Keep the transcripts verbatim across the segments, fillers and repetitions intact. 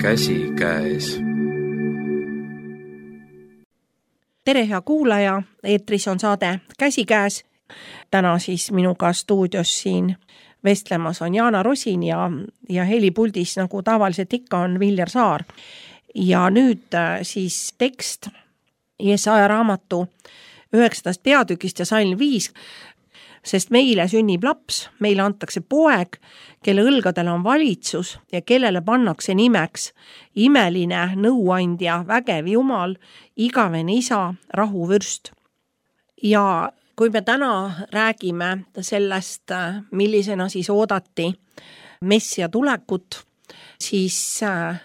Käsikäes. Tere, hea kuulaja, eetris on saade Käsikäes. Täna siis minuga stuudios siin vestlemas on Jaana Rosin ja, ja helipuldis, nagu tavaliselt ikka, on Viljar Saar. Ja nüüd siis tekst Jesaja raamatu üheksandast peatükist ja salm viis, sest meile sünnib laps, meile antakse poeg, kelle õlgadel on valitsus ja kellele pannakse nimeks imeline nõuandja, vägev Jumal, igavene isa, rahuvürst. Ja kui me täna räägime sellest, millisena siis oodati messia tulekut, siis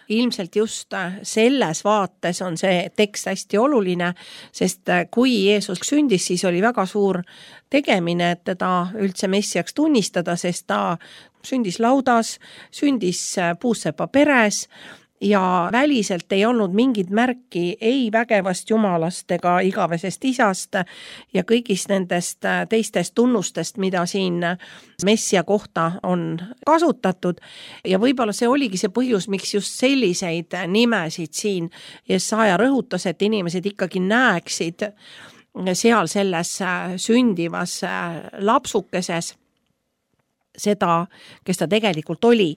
ilmselt just selles vaates on see tekst hästi oluline, sest kui Jeesus sündis, siis oli väga suur tegemine, et teda üldse messiaks tunnistada, sest ta sündis laudas, sündis puussepa peres ja väliselt ei olnud mingit märki ei vägevast jumalast ega igavesest isast ja kõigist nendest teistest tunnustest, mida siin messia kohta on kasutatud. Ja võib-olla see oligi see põhjus, miks just selliseid nimesid siin Jesaja rõhutas, et inimesed ikkagi näeksid seal selles sündivas lapsukeses seda, kes ta tegelikult oli.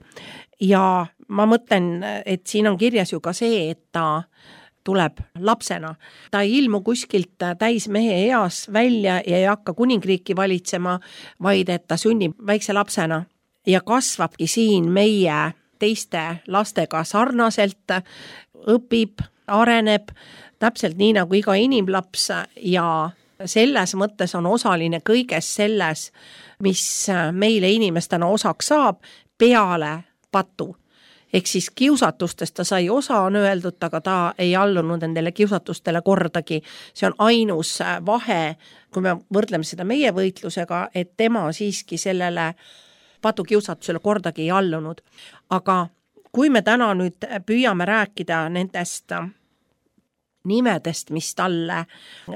Ja ma mõtlen, et siin on kirjas ju ka see, et ta tuleb lapsena. Ta ei ilmu kuskilt täis mehe eas välja ja ei hakka kuningriiki valitsema, vaid et ta sünnib väikse lapsena ja kasvabki siin meie teiste lastega sarnaselt, õpib, areneb täpselt nii nagu iga inimlaps ja selles mõttes on osaline kõiges selles, mis meile inimestena osaks saab peale patu. Ehk siis kiusatustest ta sai osa, on öeldud, aga ta ei allunud nendele kiusatustele kordagi. See on ainus vahe, kui me võrdleme seda meie võitlusega, et tema siiski sellele patukiusatusele kordagi ei allunud. Aga kui me täna nüüd püüame rääkida nendest nimedest, mis talle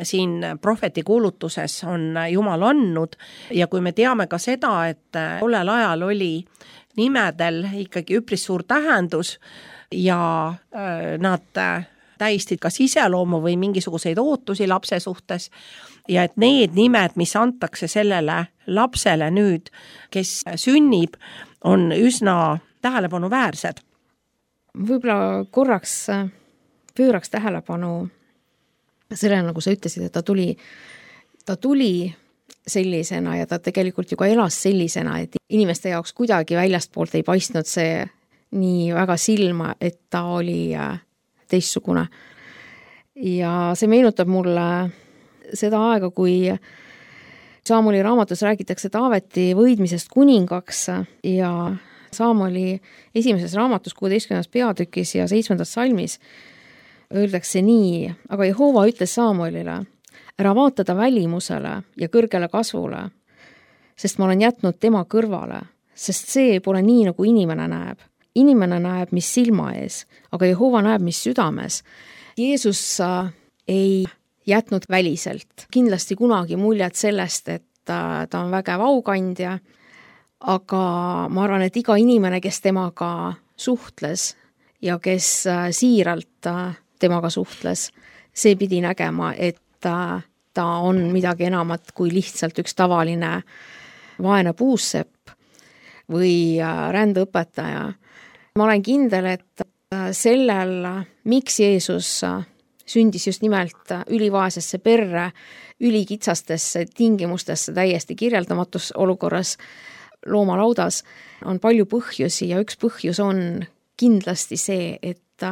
siin prohveti kuulutuses on Jumal andnud ja kui me teame ka seda, et tollel ajal oli nimedel ikkagi üpris suur tähendus ja nad tähistid kas iseloomu või mingisuguseid ootusi lapse suhtes ja et need nimed, mis antakse sellele lapsele nüüd, kes sünnib, on üsna tähelepanuväärsed. Võib-olla korraks pööraks tähelepanu sellele, nagu sa ütlesid, et ta tuli, ta tuli sellisena ja ta tegelikult ju ka elas sellisena, et inimeste jaoks kuidagi väljastpoolt ei paistnud see nii väga silma, et ta oli teistsugune. Ja see meenutab mulle seda aega, kui Saamoli raamatus räägitakse Taaveti võidmisest kuningaks ja Saamoli esimeses raamatus kuueteistkümnendas peatükis ja seitsmendas salmis öeldakse nii, aga Jehova ütles Saamolile, ära vaata ta välimusele ja kõrgele kasvule, sest ma olen jätnud tema kõrvale, sest see pole nii, nagu inimene näeb. Inimene näeb, mis silma ees, aga Jehova näeb, mis südames. Jeesus ei jätnud väliselt kindlasti kunagi muljet sellest, et ta on vägev aukandja, aga ma arvan, et iga inimene, kes temaga suhtles ja kes siiralt temaga suhtles, see pidi nägema, et ta, ta on midagi enamat kui lihtsalt üks tavaline vaene puussepp või rändeõpetaja. Ma olen kindel, et sellel, miks Jeesus sündis just nimelt ülivaesesse perre, ülikitsastesse tingimustesse täiesti kirjeldamatus olukorras loomalaudas, on palju põhjusi ja üks põhjus on kindlasti see, et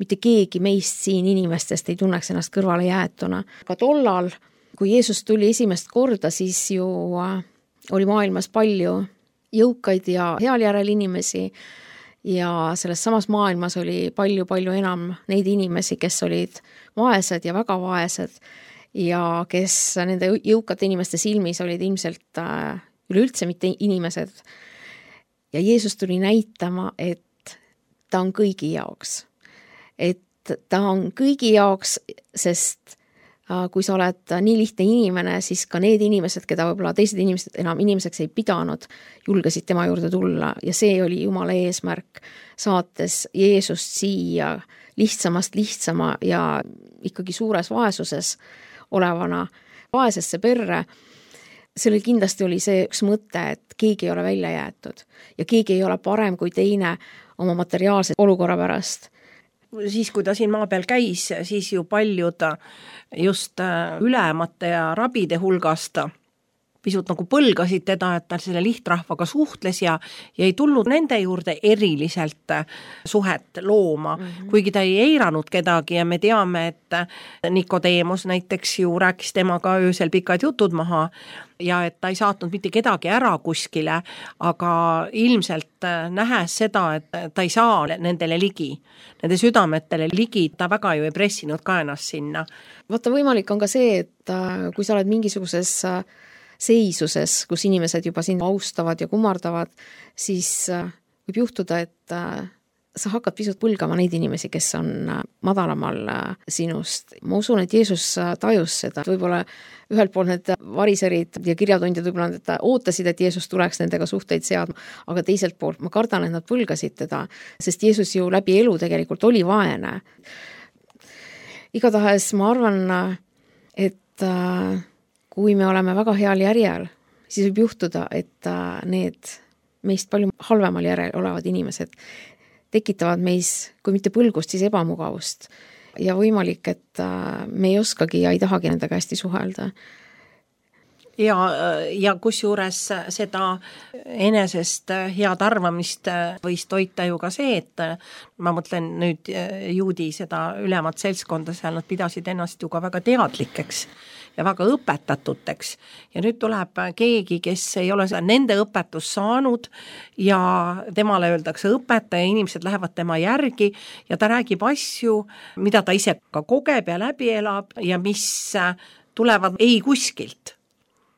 mitte keegi meist siin inimestest ei tunneks ennast kõrvale jäetuna. Ka tollal, kui Jeesus tuli esimest korda, siis ju oli maailmas palju jõukaid ja heal järel inimesi ja selles samas maailmas oli palju-palju enam neid inimesi, kes olid vaesed ja väga vaesed ja kes nende jõukate inimeste silmis olid ilmselt üleüldse mitte inimesed. Ja Jeesus tuli näitama, et ta on kõigi jaoks. Et ta on kõigi jaoks, sest kui sa oled nii lihtne inimene, siis ka need inimesed, keda võib-olla teised inimesed enam inimeseks ei pidanud, julgesid tema juurde tulla ja see oli Jumala eesmärk, saates Jeesust siia lihtsamast lihtsama ja ikkagi suures vaesuses olevana vaesesse perre. Sellel kindlasti oli see üks mõte, et keegi ei ole välja jäetud ja keegi ei ole parem kui teine oma materiaalse olukorra pärast. Siis, kui ta siin maa peal käis, siis ju paljud just ülemate ja rabide hulgast pisut nagu põlgasid teda, et ta selle lihtrahvaga suhtles ja, ja ei tulnud nende juurde eriliselt suhet looma, mm-hmm. kuigi ta ei eiranud kedagi ja me teame, et Nikodeemus näiteks ju rääkis temaga öösel pikad jutud maha ja et ta ei saatnud mitte kedagi ära kuskile, aga ilmselt nähes seda, et ta ei saa nendele ligi, nende südametele ligi, ta väga ju ei pressinud ka ennast sinna. Vaata, võimalik on ka see, et kui sa oled mingisuguses seisuses, kus inimesed juba sind austavad ja kummardavad, siis võib juhtuda, et sa hakkad pisut põlgama neid inimesi, kes on madalamal sinust. Ma usun, et Jeesus tajus seda. Võib-olla ühelt poolt need variserid ja kirjatundjad võib-olla et ootasid, et Jeesus tuleks nendega suhteid seadma, aga teiselt poolt ma kardan, et nad põlgasid teda, sest Jeesus ju läbi elu tegelikult oli vaene. Igatahes ma arvan, et kui me oleme väga heal järjel, siis võib juhtuda, et need meist palju halvemal järel olevad inimesed tekitavad meis, kui mitte põlgust, siis ebamugavust. Ja võimalik, et me ei oskagi ja ei tahagi nendega hästi suhelda. Ja, ja kusjuures seda enesest head arvamist võis toita ju ka see, et ma mõtlen nüüd juudi seda ülemat seltskonda, seal nad pidasid ennast ju ka väga teadlikeks ja väga õpetatuteks. Ja nüüd tuleb keegi, kes ei ole nende õpetus saanud ja temale öeldakse õpetaja, inimesed lähevad tema järgi ja ta räägib asju, mida ta ise ka kogeb ja läbi elab ja mis tulevad ei kuskilt.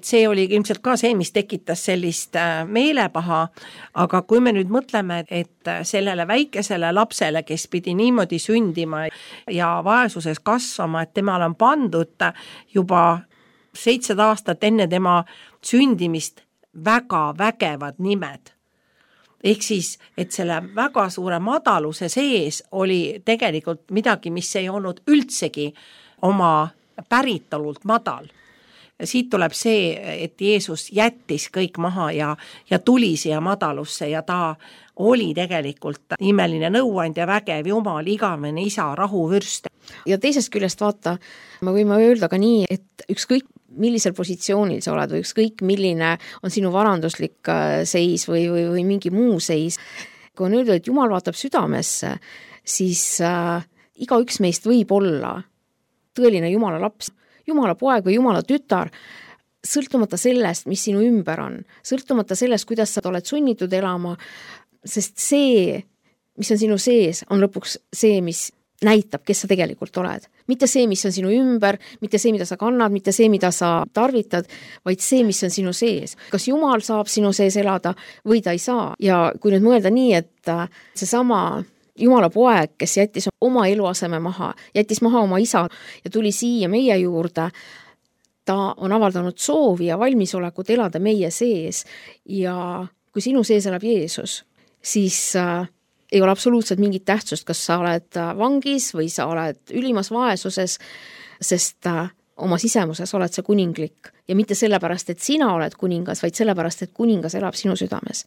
See oli ilmselt ka see, mis tekitas sellist meelepaha, aga kui me nüüd mõtleme, et sellele väikesele lapsele, kes pidi niimoodi sündima ja vaesuses kasvama, et temal on pandud juba seitsesada aastat enne tema sündimist väga vägevad nimed. Ehk siis, et selle väga suure madaluse sees oli tegelikult midagi, mis ei olnud üldsegi oma päritolult madal. Siit tuleb see, et Jeesus jättis kõik maha ja, ja tuli siia madalusse ja ta oli tegelikult imeline nõuandja, vägev Jumal, igavene isa, rahuvürst. Ja teisest küljest vaata, me võime öelda ka nii, et ükskõik millisel positsioonil sa oled või ükskõik milline on sinu varanduslik seis või, või, või mingi muu seis. Kui on öelda, et Jumal vaatab südamesse, siis äh, iga üks meist võib olla tõeline Jumala laps. Jumala poeg või Jumala tütar, sõltumata sellest, mis sinu ümber on, sõltumata sellest, kuidas sa oled sunnitud elama, sest see, mis on sinu sees, on lõpuks see, mis näitab, kes sa tegelikult oled. Mitte see, mis on sinu ümber, mitte see, mida sa kannad, mitte see, mida sa tarvitad, vaid see, mis on sinu sees. Kas Jumal saab sinu sees elada või ta ei saa? Ja kui nüüd mõelda nii, et see sama Jumala poeg, kes jättis oma eluaseme maha, jättis maha oma isa ja tuli siia meie juurde, ta on avaldanud soovi ja valmisolekut elada meie sees ja kui sinu sees elab Jeesus, siis äh, ei ole absoluutselt mingit tähtsust, kas sa oled vangis või sa oled ülimas vaesuses, sest äh, oma sisemuses oled sa kuninglik ja mitte sellepärast, et sina oled kuningas, vaid sellepärast, et kuningas elab sinu südames.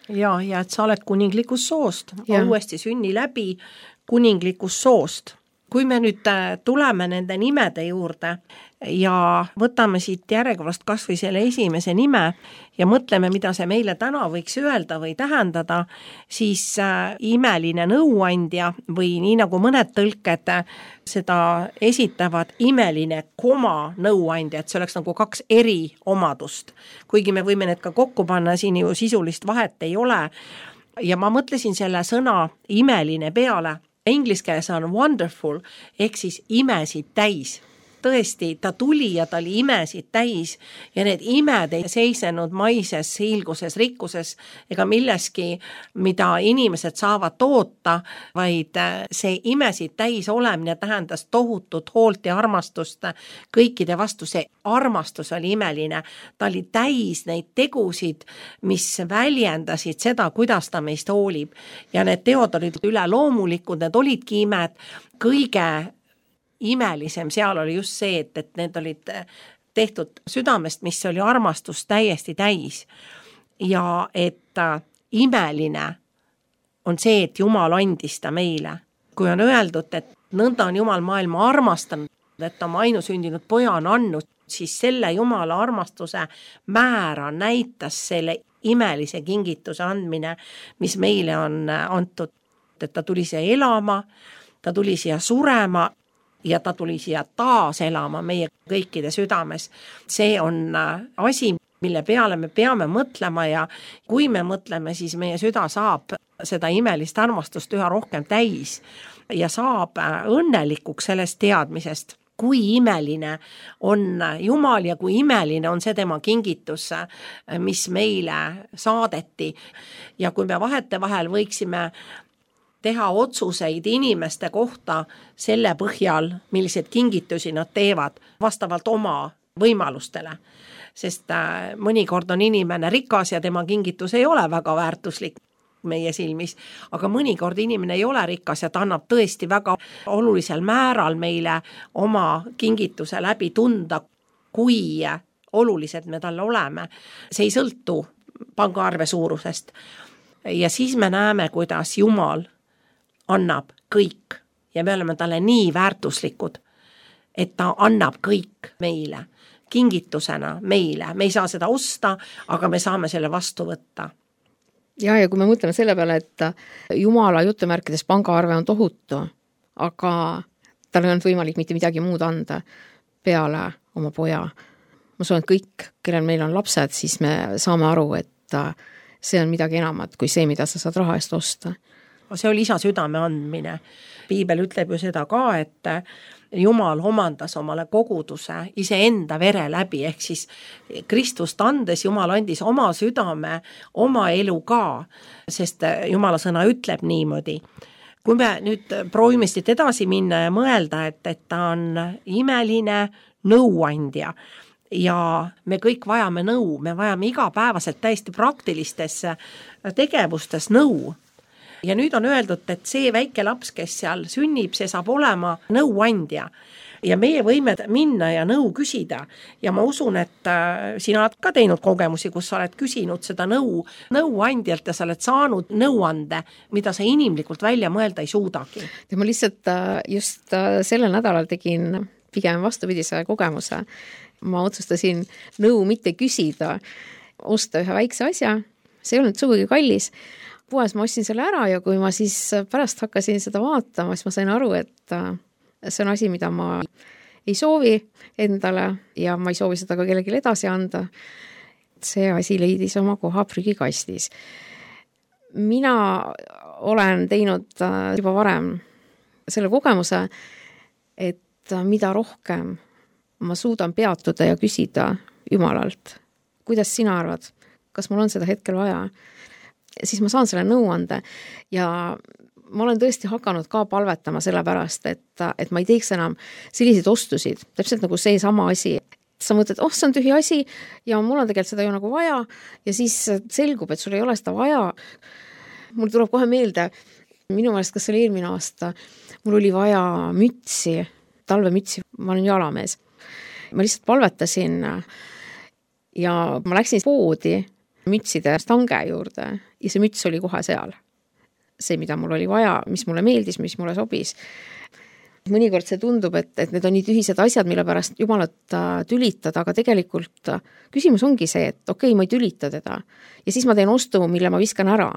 Ja, ja et sa oled kuninglikust soost, uuesti sünni läbi kuninglikust soost. Kui me nüüd tuleme nende nimede juurde ja võtame siit järjekorrast kas või selle esimese nime ja mõtleme, mida see meile täna võiks öelda või tähendada, siis äh, imeline nõuandja või nii nagu mõned tõlked seda esitavad imeline koma nõuandja, et see oleks nagu kaks eri omadust. Kuigi me võime need ka kokku panna, siin ju sisulist vahet ei ole. Ja ma mõtlesin selle sõna imeline peale. Inglis keeles on wonderful, ehk siis imesid täis. tõesti, ta tuli ja ta oli imesid täis ja need imed ei seisnenud maises, hiilguses, rikkuses ega milleski, mida inimesed saavad toota, vaid see imesid täis olemine tähendas tohutut hoolt ja armastust kõikide vastu. See armastus oli imeline. Ta oli täis neid tegusid, mis väljendasid seda, kuidas ta meist hoolib. Ja need teod olid üleloomulikud, need olidki imed. Kõige imelisem seal oli just see, et, et need olid tehtud südamest, mis oli armastus täiesti täis. Ja et imeline on see, et Jumal andis ta meile. Kui on öeldud, et nõnda on Jumal maailma armastanud, et oma ainusündinud poja on andnud, siis selle Jumala armastuse määra näitas selle imelise kingituse andmine, mis meile on antud, et ta tuli siia elama, ta tuli siia surema ja ta tuli siia taas elama meie kõikide südames. See on asi, mille peale me peame mõtlema ja kui me mõtleme, siis meie süda saab seda imelist armastust üha rohkem täis ja saab õnnelikuks sellest teadmisest, kui imeline on Jumal ja kui imeline on see tema kingitus, mis meile saadeti. Ja kui me vahete vahel võiksime teha otsuseid inimeste kohta selle põhjal, millised kingitusi nad teevad vastavalt oma võimalustele. Sest mõnikord on inimene rikas ja tema kingitus ei ole väga väärtuslik meie silmis, aga mõnikord inimene ei ole rikas ja ta annab tõesti väga olulisel määral meile oma kingituse läbi tunda, kui olulised me talle oleme. See ei sõltu pangaarve suurusest. Ja siis me näeme, kuidas Jumal annab kõik ja me oleme talle nii väärtuslikud, et ta annab kõik meile, kingitusena meile. Me ei saa seda osta, aga me saame selle vastu võtta. Ja, ja kui me mõtleme selle peale, et Jumala jutumärkides pangaarve on tohutu, aga tal ei olnud võimalik mitte midagi muud anda peale oma poja. Ma soon, et kõik, kellel meil on lapsed, siis me saame aru, et see on midagi enamat kui see, mida sa saad raha eest osta. See oli isa südame andmine. Piibel ütleb ju seda ka, et Jumal omandas omale koguduse iseenda vere läbi, ehk siis Kristust andes Jumal andis oma südame, oma elu ka, sest Jumala sõna ütleb niimoodi. Kui me nüüd proovime siit edasi minna ja mõelda, et, et ta on imeline nõuandja ja me kõik vajame nõu, me vajame igapäevaselt täiesti praktilistes tegevustes nõu. Ja nüüd on öeldud, et see väike laps, kes seal sünnib, see saab olema nõuandja. Ja meie võime minna ja nõu küsida. Ja ma usun, et sina oled ka teinud kogemusi, kus sa oled küsinud seda nõu nõuandjalt ja sa oled saanud nõuande, mida sa inimlikult välja mõelda ei suudagi. Ja ma lihtsalt just sellel nädalal tegin pigem vastupidise kogemuse. Ma otsustasin nõu mitte küsida, osta ühe väikse asja. See ei olnud sugugi kallis. Puhes ma ostsin selle ära ja kui ma siis pärast hakkasin seda vaatama, siis ma sain aru, et see on asi, mida ma ei soovi endale ja ma ei soovi seda ka kellelegi edasi anda. See asi leidis oma koha prügikastis. Mina olen teinud juba varem selle kogemuse, et mida rohkem ma suudan peatuda ja küsida Jumalalt. Kuidas sina arvad? Kas mul on seda hetkel vaja? Siis ma saan selle nõuande ja ma olen tõesti hakanud ka palvetama selle pärast, et, et ma ei teeks enam selliseid ostusid, täpselt nagu see sama asi. Sa mõtled, oh, see on tühi asi ja mul on tegelikult seda ju nagu vaja ja siis selgub, et sul ei ole seda vaja. Mul tuleb kohe meelde, minu meelest, kas oli eelmine aasta, mul oli vaja mütsi, talvemütsi, ma olen jalamees. Ma lihtsalt palvetasin ja ma läksin poodi mütside stange juurde ja see müts oli kohe seal. See, mida mul oli vaja, mis mulle meeldis, mis mulle sobis. Mõnikord see tundub, et, et need on nii tühised asjad, mille pärast Jumalat tülitada, aga tegelikult küsimus ongi see, et okei, okay, ma ei tülita teda ja siis ma teen ostu, mille ma viskan ära.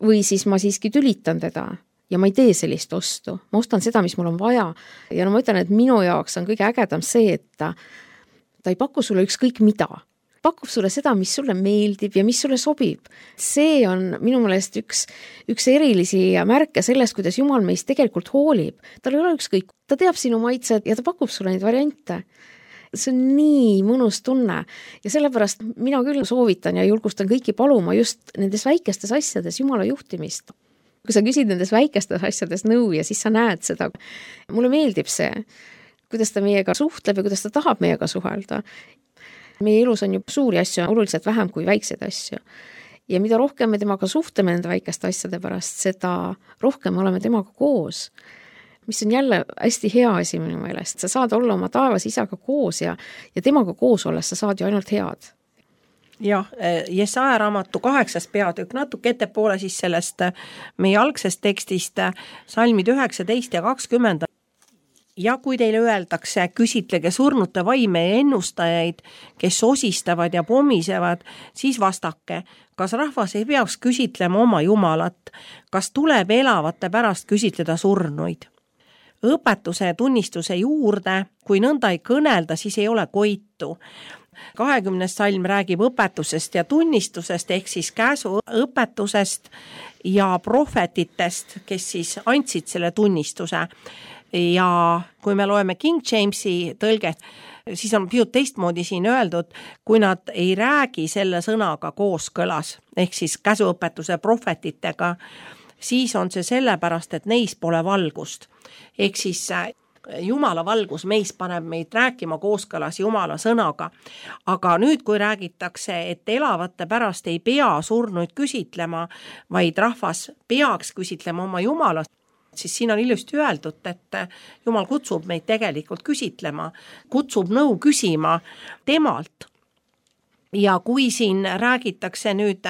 Või siis ma siiski tülitan teda ja ma ei tee sellist ostu. Ma ostan seda, mis mul on vaja ja no ma ütlen, et minu jaoks on kõige ägedam see, et ta, ta ei paku sulle ükskõik mida. pakub sulle seda, mis sulle meeldib ja mis sulle sobib. See on minu meelest üks, üks erilisi märke sellest, kuidas Jumal meist tegelikult hoolib. Tal ei ole ükskõik, ta teab sinu maitsed ja ta pakub sulle neid variante. See on nii mõnus tunne ja sellepärast mina küll soovitan ja julgustan kõiki paluma just nendes väikestes asjades Jumala juhtimist. Kui sa küsid nendes väikestes asjades nõu ja siis sa näed seda. Mulle meeldib see, kuidas ta meiega suhtleb ja kuidas ta tahab meiega suhelda. Meie elus on ju suuri asju oluliselt vähem kui väikseid asju. Ja mida rohkem me temaga suhtleme nende väikeste asjade pärast, seda rohkem me oleme temaga koos. Mis on jälle hästi hea asi minu meelest. Sa saad olla oma taevas isaga koos ja, ja temaga koos olles sa saad ju ainult head. Jah, Jesaja raamatu kaheksas peatükk, natuke ettepoole siis sellest meie algsest tekstist, salmid üheksateist ja kakskümmend. Ja kui teile öeldakse, küsitlege surnute vaime ja ennustajaid, kes osistavad ja pommisevad, siis vastake, kas rahvas ei peaks küsitlema oma Jumalat, kas tuleb elavate pärast küsitleda surnuid. Õpetuse ja tunnistuse juurde, kui nõnda ei kõnelda, siis ei ole koitu. kahekümnes salm räägib õpetusest ja tunnistusest ehk siis käsu õpetusest ja prohvetitest, kes siis andsid selle tunnistuse. Ja kui me loeme King Jamesi tõlget, siis on pisut teistmoodi siin öeldud, kui nad ei räägi selle sõnaga kooskõlas, ehk siis käsuõpetuse prohvetitega, siis on see sellepärast, et neis pole valgust. Ehk siis Jumala valgus meis paneb meid rääkima kooskõlas Jumala sõnaga. Aga nüüd, kui räägitakse, et elavate pärast ei pea surnuid küsitlema, vaid rahvas peaks küsitlema oma Jumala, siis siin on ilusti öeldud, et Jumal kutsub meid tegelikult küsitlema, kutsub nõu küsima temalt. Ja kui siin räägitakse nüüd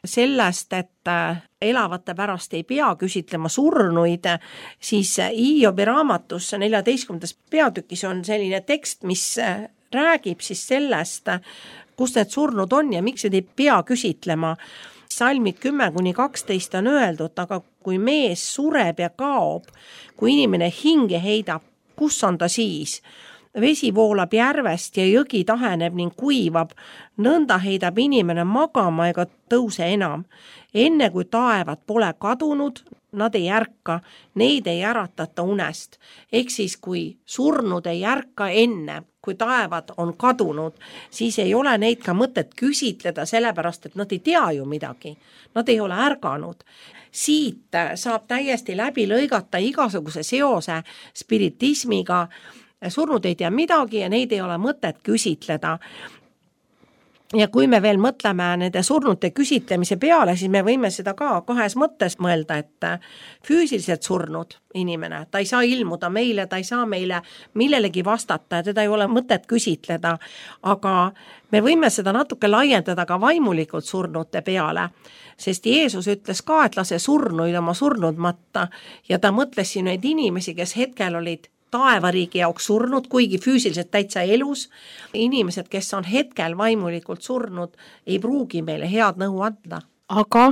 sellest, et elavate pärast ei pea küsitlema surnuid, siis Hiobi raamatus neljateistkümnendas peatükis on selline tekst, mis räägib siis sellest, kus need surnud on ja miks ei pea küsitlema. Salmid kümme kuni kaksteist on öeldud, aga kui mees sureb ja kaob, kui inimene hinge heidab, kus on ta siis? Vesi voolab järvest ja jõgi taheneb ning kuivab, nõnda heidab inimene magama ega tõuse enam. Enne kui taevad pole kadunud, nad ei ärka, neid ei äratata unest. Ehk siis kui surnud ei ärka enne, kui taevad on kadunud, siis ei ole neid ka mõtet küsitleda, sellepärast et nad ei tea ju midagi. Nad ei ole ärganud. Siit saab täiesti läbi lõigata igasuguse seose spiritismiga. Surnud ei tea midagi ja neid ei ole mõtet küsitleda. Ja kui me veel mõtleme nende surnute küsitlemise peale, siis me võime seda ka kahes mõttes mõelda, et füüsiliselt surnud inimene, ta ei saa ilmuda meile, ta ei saa meile millelegi vastata ja teda ei ole mõtet küsitleda, aga me võime seda natuke laiendada ka vaimulikult surnute peale, sest Jeesus ütles ka, et lase surnuid oma surnud matta ja ta mõtles siin neid inimesi, kes hetkel olid taevariigi jaoks surnud, kuigi füüsiliselt täitsa elus. Inimesed, kes on hetkel vaimulikult surnud, ei pruugi meile head nõu anda. Aga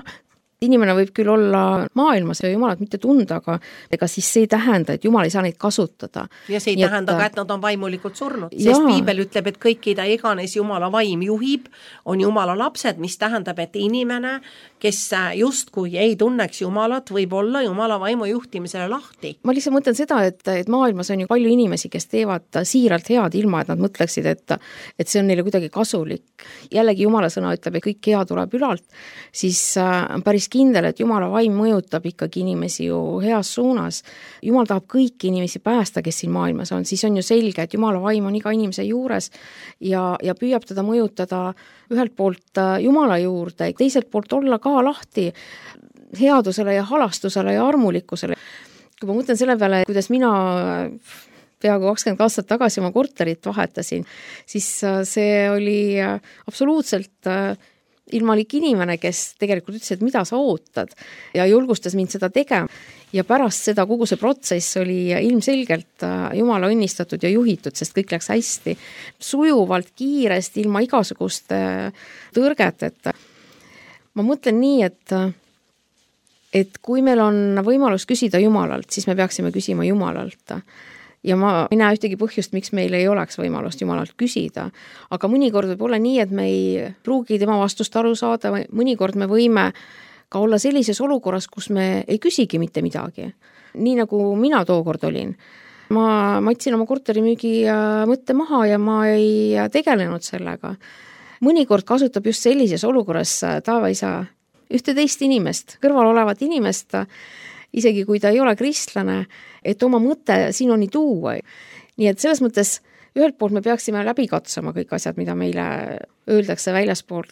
inimene võib küll olla maailmas ja Jumalat mitte tunda, aga ega siis see ei tähenda, et Jumal ei saa neid kasutada. Ja see ei Nii tähenda et... ka, et nad on vaimulikult surnud, sest Jaa. Piibel ütleb, et kõikida iganes Jumala vaim juhib, on Jumala lapsed, mis tähendab, et inimene, kes justkui ei tunneks Jumalat, võib olla Jumala vaimu juhtimisele lahti. Ma lihtsalt mõtlen seda, et, et maailmas on ju palju inimesi, kes teevad siiralt head ilma, et nad mõtleksid, et, et see on neile kuidagi kasulik. Jällegi Jumala sõna ütleb, et kõik hea tuleb ülalt, siis on päris kindel, et Jumala vaim mõjutab ikkagi inimesi ju heas suunas. Jumal tahab kõiki inimesi päästa, kes siin maailmas on, siis on ju selge, et Jumala vaim on iga inimese juures ja, ja püüab teda mõjutada ühelt poolt Jumala juurde, teiselt poolt olla ka lahti headusele ja halastusele ja armulikkusele. Kui ma mõtlen selle peale, kuidas mina peaaegu kakskümmend aastat tagasi oma korterit vahetasin, siis see oli absoluutselt ilmalik inimene, kes tegelikult ütles, et mida sa ootad ja julgustas mind seda tegema. Ja pärast seda kogu see protsess oli ilmselgelt Jumala õnnistatud ja juhitud, sest kõik läks hästi. Sujuvalt, kiiresti, ilma igasuguste tõrgeteta. Ma mõtlen nii, et, et kui meil on võimalus küsida Jumalalt, siis me peaksime küsima Jumalalt. ja ma ei näe ühtegi põhjust, miks meil ei oleks võimalust Jumalalt küsida. Aga mõnikord võib olla nii, et me ei pruugi tema vastust aru saada, või mõnikord me võime ka olla sellises olukorras, kus me ei küsigi mitte midagi. Nii nagu mina tookord olin. Ma matsin oma korterimüügi mõtte maha ja ma ei tegelenud sellega. Mõnikord kasutab just sellises olukorras taevaisa ühte teist inimest, kõrval olevat inimest, isegi kui ta ei ole kristlane, et oma mõte sinuni tuua. Nii et selles mõttes ühelt poolt me peaksime läbi katsuma kõik asjad, mida meile öeldakse väljaspool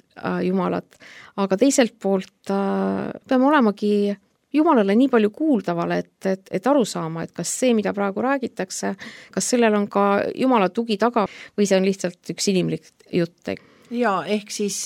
Jumalat, aga teiselt poolt peame olemagi Jumalale nii palju kuuldavale, et, et, et aru saama, et kas see, mida praegu räägitakse, kas sellel on ka Jumala tugi taga või see on lihtsalt üks inimlik jutt. Ja ehk siis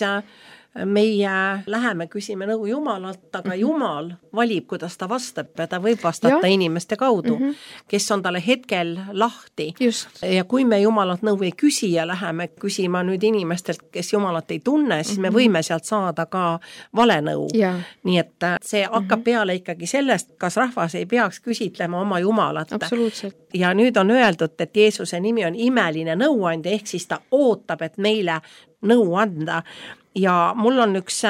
meie läheme küsime nõu Jumalalt, aga mm -hmm. Jumal valib, kuidas ta vastab ja ta võib vastata ja. inimeste kaudu, mm -hmm. kes on talle hetkel lahti. Just. Ja kui me Jumalalt nõu ei küsi ja läheme küsima nüüd inimestelt, kes Jumalat ei tunne, siis mm -hmm. me võime sealt saada ka vale nõu. Ja. Nii et see hakkab mm -hmm. peale ikkagi sellest, kas rahvas ei peaks küsitlema oma Jumalat. Absoluutselt. Ja nüüd on öeldud, et Jeesuse nimi on imeline nõuandja, ehk siis ta ootab, et meile nõu anda. Ja mul on üks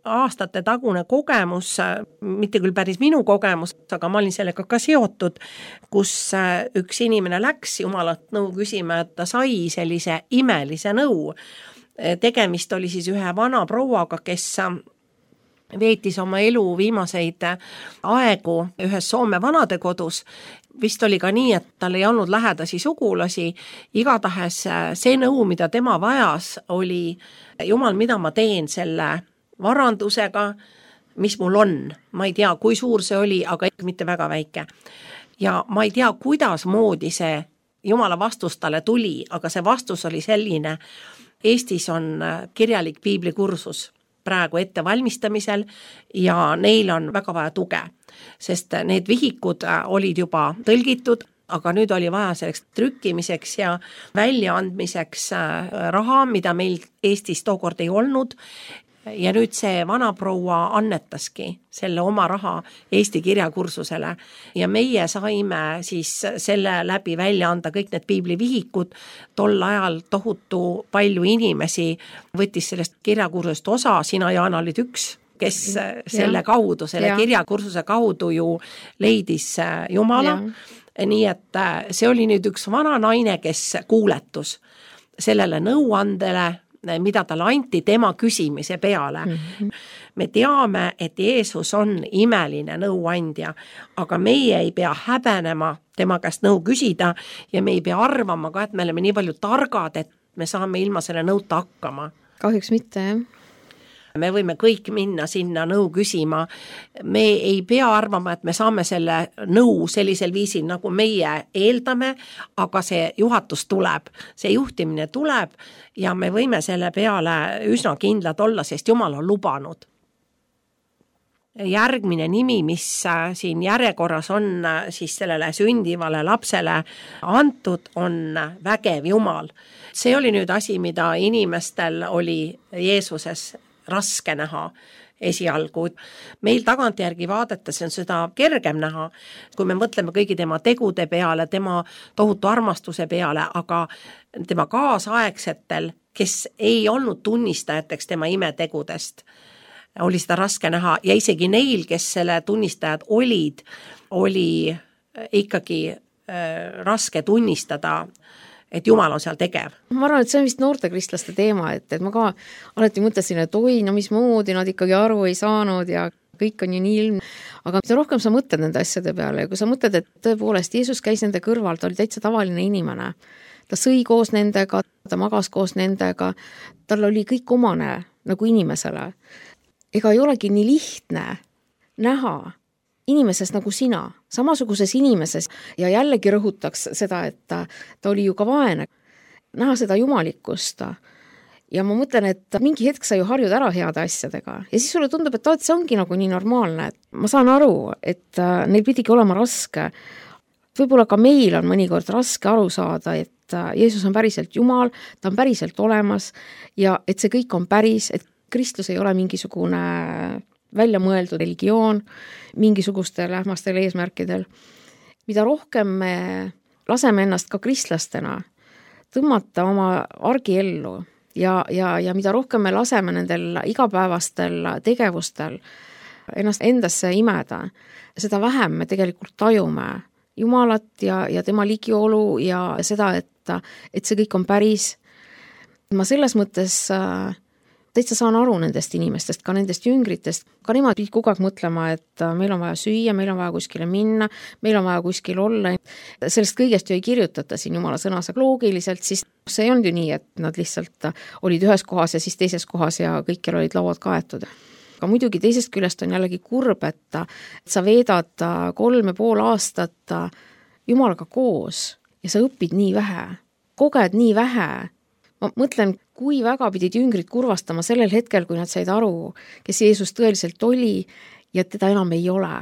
aastate tagune kogemus, mitte küll päris minu kogemus, aga ma olin sellega ka seotud, kus üks inimene läks Jumalat nõu küsima, et ta sai sellise imelise nõu. Tegemist oli siis ühe vana prouaga, kes veetis oma elu viimaseid aegu ühes Soome vanadekodus. Vist oli ka nii, et tal ei olnud lähedasi sugulasi. Igatahes see nõu, mida tema vajas, oli Jumal, mida ma teen selle varandusega, mis mul on. Ma ei tea, kui suur see oli, aga mitte väga väike. Ja ma ei tea, kuidas moodi see Jumala vastus talle tuli, aga see vastus oli selline. Eestis on kirjalik piiblikursus praegu ettevalmistamisel ja neil on väga vaja tuge, sest need vihikud olid juba tõlgitud, aga nüüd oli vaja selleks trükkimiseks ja väljaandmiseks raha, mida meil Eestis tookord ei olnud. Ja nüüd see vanaproua annetaski selle oma raha Eesti kirjakursusele ja meie saime siis selle läbi välja anda kõik need piiblivihikud. Tol ajal tohutu palju inimesi võttis sellest kirjakursusest osa, sina Jaana olid üks, kes selle ja. kaudu, selle ja. kirjakursuse kaudu ju leidis Jumala. Ja. Nii et see oli nüüd üks vana naine, kes kuuletus sellele nõuandele, mida talle anti tema küsimise peale. Mm-hmm. Me teame, et Jeesus on imeline nõuandja, aga meie ei pea häbenema tema käest nõu küsida ja me ei pea arvama ka, et me oleme nii palju targad, et me saame ilma selle nõuta hakkama. Kahjuks mitte, jah. Me võime kõik minna sinna nõu küsima. Me ei pea arvama, et me saame selle nõu sellisel viisil, nagu meie eeldame, aga see juhatus tuleb, see juhtimine tuleb ja me võime selle peale üsna kindlad olla, sest Jumal on lubanud. Järgmine nimi, mis siin järjekorras on siis sellele sündivale lapsele antud, on vägev Jumal. See oli nüüd asi, mida inimestel oli Jeesuses raske näha esialgu. Meil tagantjärgi vaadates on seda kergem näha, kui me mõtleme kõigi tema tegude peale, tema tohutu armastuse peale, aga tema kaasaegsetel, kes ei olnud tunnistajateks tema imetegudest, oli seda raske näha ja isegi neil, kes selle tunnistajad olid, oli ikkagi äh, raske tunnistada, et Jumal on seal tegev. Ma arvan, et see on vist noorte kristlaste teema, et, et ma ka alati mõtlesin, et oi, no mismoodi nad ikkagi aru ei saanud ja kõik on ju nii ilm. Aga mida rohkem sa mõtled nende asjade peale ja kui sa mõtled, et tõepoolest Jeesus käis nende kõrval, ta oli täitsa tavaline inimene. Ta sõi koos nendega, ta magas koos nendega, tal oli kõik omane nagu inimesele. Ega ei olegi nii lihtne näha inimeses nagu sina, samasuguses inimeses ja jällegi rõhutaks seda, et ta, ta oli ju ka vaene. Näha seda jumalikkust ja ma mõtlen, et mingi hetk sa ju harjud ära heade asjadega ja siis sulle tundub, et, et see ongi nagu nii normaalne. Ma saan aru, et neil pidigi olema raske. Võib-olla ka meil on mõnikord raske aru saada, et Jeesus on päriselt Jumal, ta on päriselt olemas ja et see kõik on päris, et Kristus ei ole mingisugune välja mõeldud religioon mingisugustel ähmastel eesmärkidel. Mida rohkem me laseme ennast ka kristlastena tõmmata oma argiellu ja, ja, ja mida rohkem me laseme nendel igapäevastel tegevustel ennast endasse imeda, seda vähem me tegelikult tajume Jumalat ja, ja tema ligiolu ja seda, et, et see kõik on päris. Ma selles mõttes täitsa saan aru nendest inimestest, ka nendest jüngritest, ka nemad pidid kogu aeg mõtlema, et meil on vaja süüa, meil on vaja kuskile minna, meil on vaja kuskil olla. Sellest kõigest ju ei kirjutata siin Jumala sõnas, aga loogiliselt siis see ei olnud ju nii, et nad lihtsalt olid ühes kohas ja siis teises kohas ja kõikjal olid lauad kaetud. Aga muidugi teisest küljest on jällegi kurb, et sa veedad kolm ja pool aastat Jumalaga koos ja sa õpid nii vähe, koged nii vähe. Ma mõtlen, kui väga pidid jüngrid kurvastama sellel hetkel, kui nad said aru, kes Jeesus tõeliselt oli ja teda enam ei ole.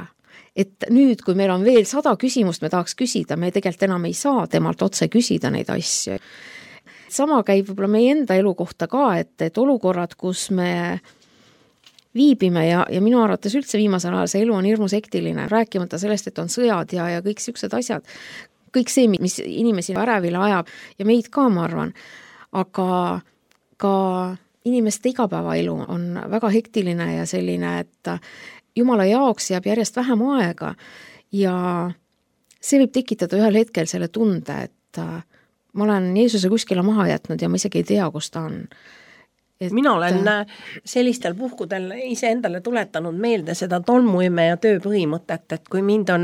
Et nüüd, kui meil on veel sada küsimust, me tahaks küsida, me tegelikult enam ei saa temalt otse küsida neid asju. Sama käib võib-olla meie enda elu kohta ka, et, et olukorrad, kus me viibime ja, ja minu arvates üldse viimasel ajal see elu on hirmus hektiline, rääkimata sellest, et on sõjad ja, ja kõik siuksed asjad, kõik see, mis inimesi ärevile ajab ja meid ka, ma arvan, aga ka inimeste igapäevaelu on väga hektiline ja selline, et Jumala jaoks jääb järjest vähem aega ja see võib tekitada ühel hetkel selle tunde, et ma olen Jeesuse kuskile maha jätnud ja ma isegi ei tea, kus ta on. Et mina olen sellistel puhkudel ise endale tuletanud meelde seda tolmuime ja töö põhimõtet, et kui mind on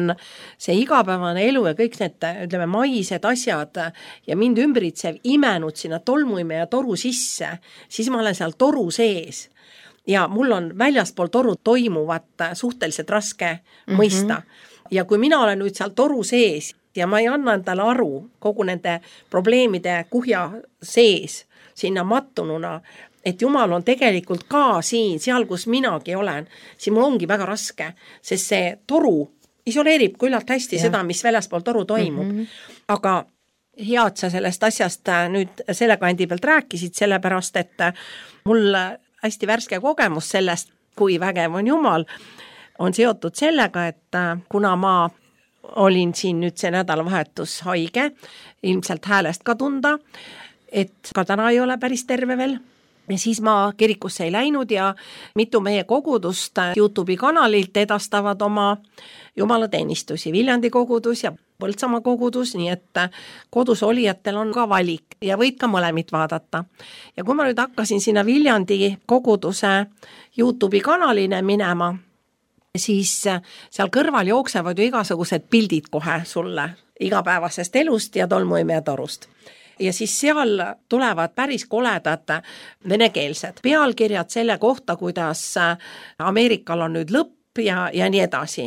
see igapäevane elu ja kõik need, ütleme, maised asjad ja mind ümbritsev imenud sinna tolmuime ja toru sisse, siis ma olen seal toru sees ja mul on väljaspool toru toimuvat suhteliselt raske mm-hmm. mõista. Ja kui mina olen nüüd seal toru sees ja ma ei anna endale aru kogu nende probleemide kuhja sees, sinna mattununa, et Jumal on tegelikult ka siin, seal, kus minagi olen, siis mul ongi väga raske, sest see toru isoleerib küllalt hästi ja. Seda, mis väljaspool toru toimub. Mm-hmm. Aga hea, et sa sellest asjast nüüd selle kandi pealt rääkisid, sellepärast, et mul hästi värske kogemus sellest, kui vägev on Jumal, on seotud sellega, et kuna ma olin siin nüüd see nädalavahetus haige, ilmselt häälest ka tunda, et ka täna ei ole päris terve veel. Ja siis ma kirikusse ei läinud ja mitu meie kogudust YouTube'i kanalilt edastavad oma jumalateenistusi, Viljandi kogudus ja Põltsamaa kogudus, nii et kodus olijatel on ka valik ja võid ka mõlemit vaadata. Ja kui ma nüüd hakkasin sinna Viljandi koguduse YouTube'i kanaline minema, siis seal kõrval jooksevad ju igasugused pildid kohe sulle igapäevasest elust ja tolmuime ja torust. Ja siis seal tulevad päris koledad venekeelsed pealkirjad selle kohta, kuidas Ameerikal on nüüd lõpp ja, ja nii edasi.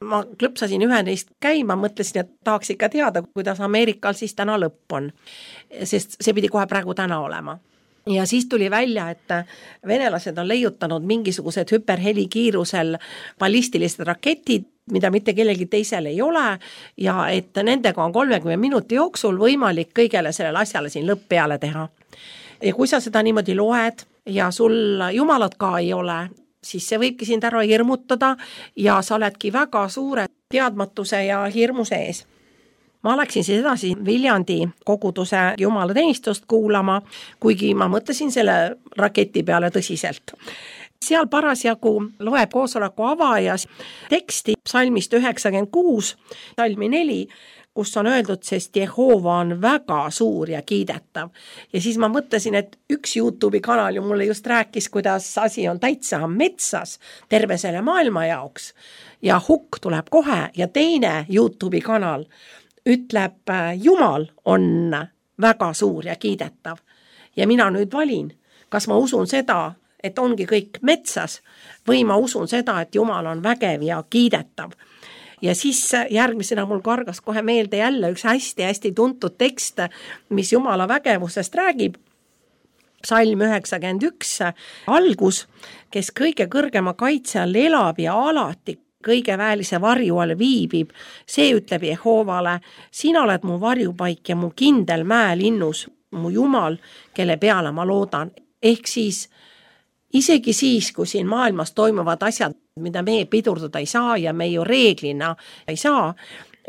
Ma klõpsasin ühe neist käima, mõtlesin, et tahaks ikka teada, kuidas Ameerikal siis täna lõpp on, sest see pidi kohe praegu täna olema. Ja siis tuli välja, et venelased on leiutanud mingisugused hüperhelikiirusel ballistilised raketid, mida mitte kellelgi teisel ei ole ja et nendega on kolmekümne minuti jooksul võimalik kõigele sellele asjale siin lõpp peale teha. Ja kui sa seda niimoodi loed ja sul Jumalat ka ei ole, siis see võibki sind ära hirmutada ja sa oledki väga suure teadmatuse ja hirmu sees. Ma läksin siis edasi Viljandi koguduse jumalateenistust kuulama, kuigi ma mõtlesin selle raketi peale tõsiselt. Seal parasjagu loeb koosoleku avajas teksti psalmist üheksakümmend kuus, salmi neli, kus on öeldud, sest Jehova on väga suur ja kiidetav. Ja siis ma mõtlesin, et üks YouTube'i kanal ju mulle just rääkis, kuidas asi on täitsa metsas terve selle maailma jaoks ja hukk tuleb kohe ja teine YouTube'i kanal ütleb, Jumal on väga suur ja kiidetav. Ja mina nüüd valin, kas ma usun seda, et ongi kõik metsas või ma usun seda, et Jumal on vägev ja kiidetav. Ja siis järgmisena mul kargas kohe meelde jälle üks hästi-hästi tuntud tekst, mis Jumala vägevusest räägib. Psalm üheksakümmend üks algus, kes kõige kõrgema kaitse all elab ja alati kõige väelise varju all viibib, see ütleb Jehovale, sina oled mu varjupaik ja mu kindel mäelinnus, mu Jumal, kelle peale ma loodan. Ehk siis, isegi siis, kui siin maailmas toimuvad asjad, mida me pidurdada ei saa ja me ju reeglina ei saa,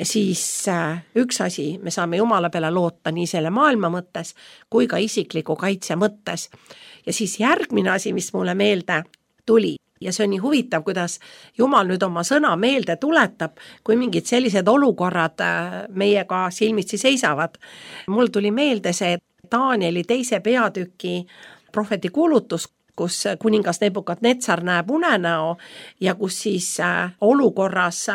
siis üks asi, me saame Jumala peale loota nii selle maailma mõttes kui ka isikliku kaitse mõttes. Ja siis järgmine asi, mis mulle meelde tuli, ja see on nii huvitav, kuidas Jumal nüüd oma sõna meelde tuletab, kui mingid sellised olukorrad meiega silmitsi seisavad. Mul tuli meelde see Danieli teise peatüki prohveti kuulutus, kus kuningas Nebukadnetsar näeb unenäo ja kus siis olukorras,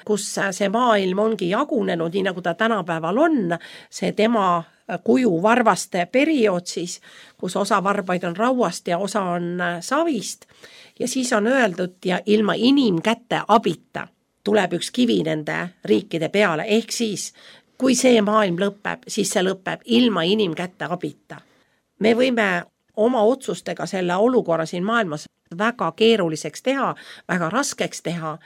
kus see maailm ongi jagunenud, nii nagu ta tänapäeval on, see tema kuju varvaste periood siis, kus osa varbaid on rauast ja osa on savist. Ja siis on öeldud ja ilma inimkäte abita tuleb üks kivi nende riikide peale. Ehk siis, kui see maailm lõpeb, siis see lõpeb ilma inimkäte abita. Me võime oma otsustega selle olukorra siin maailmas väga keeruliseks teha, väga raskeks teha,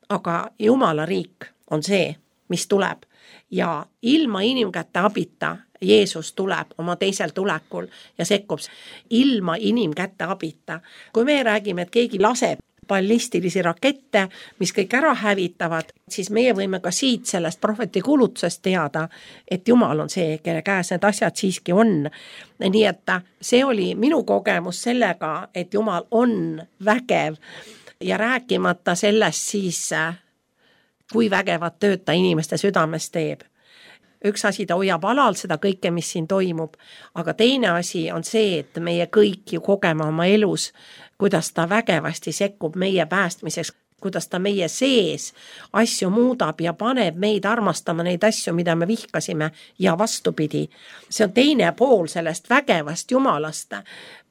aga Jumala riik on see, mis tuleb. Ja ilma inimkäte abita Jeesus tuleb oma teisel tulekul ja sekkub ilma inimkäte abita. Kui me räägime, et keegi laseb ballistilisi rakette, mis kõik ära hävitavad, siis meie võime ka siit sellest prohveti kuulutusest teada, et Jumal on see, kelle käes need asjad siiski on. Nii et see oli minu kogemus sellega, et Jumal on vägev ja rääkimata sellest siis, kui vägevat tööd ta inimeste südames teeb. Üks asi, ta hoiab alal seda kõike, mis siin toimub, aga teine asi on see, et meie kõik ju kogeme oma elus, kuidas ta vägevasti sekkub meie päästmiseks, kuidas ta meie sees asju muudab ja paneb meid armastama neid asju, mida me vihkasime ja vastupidi. See on teine pool sellest vägevast Jumalast.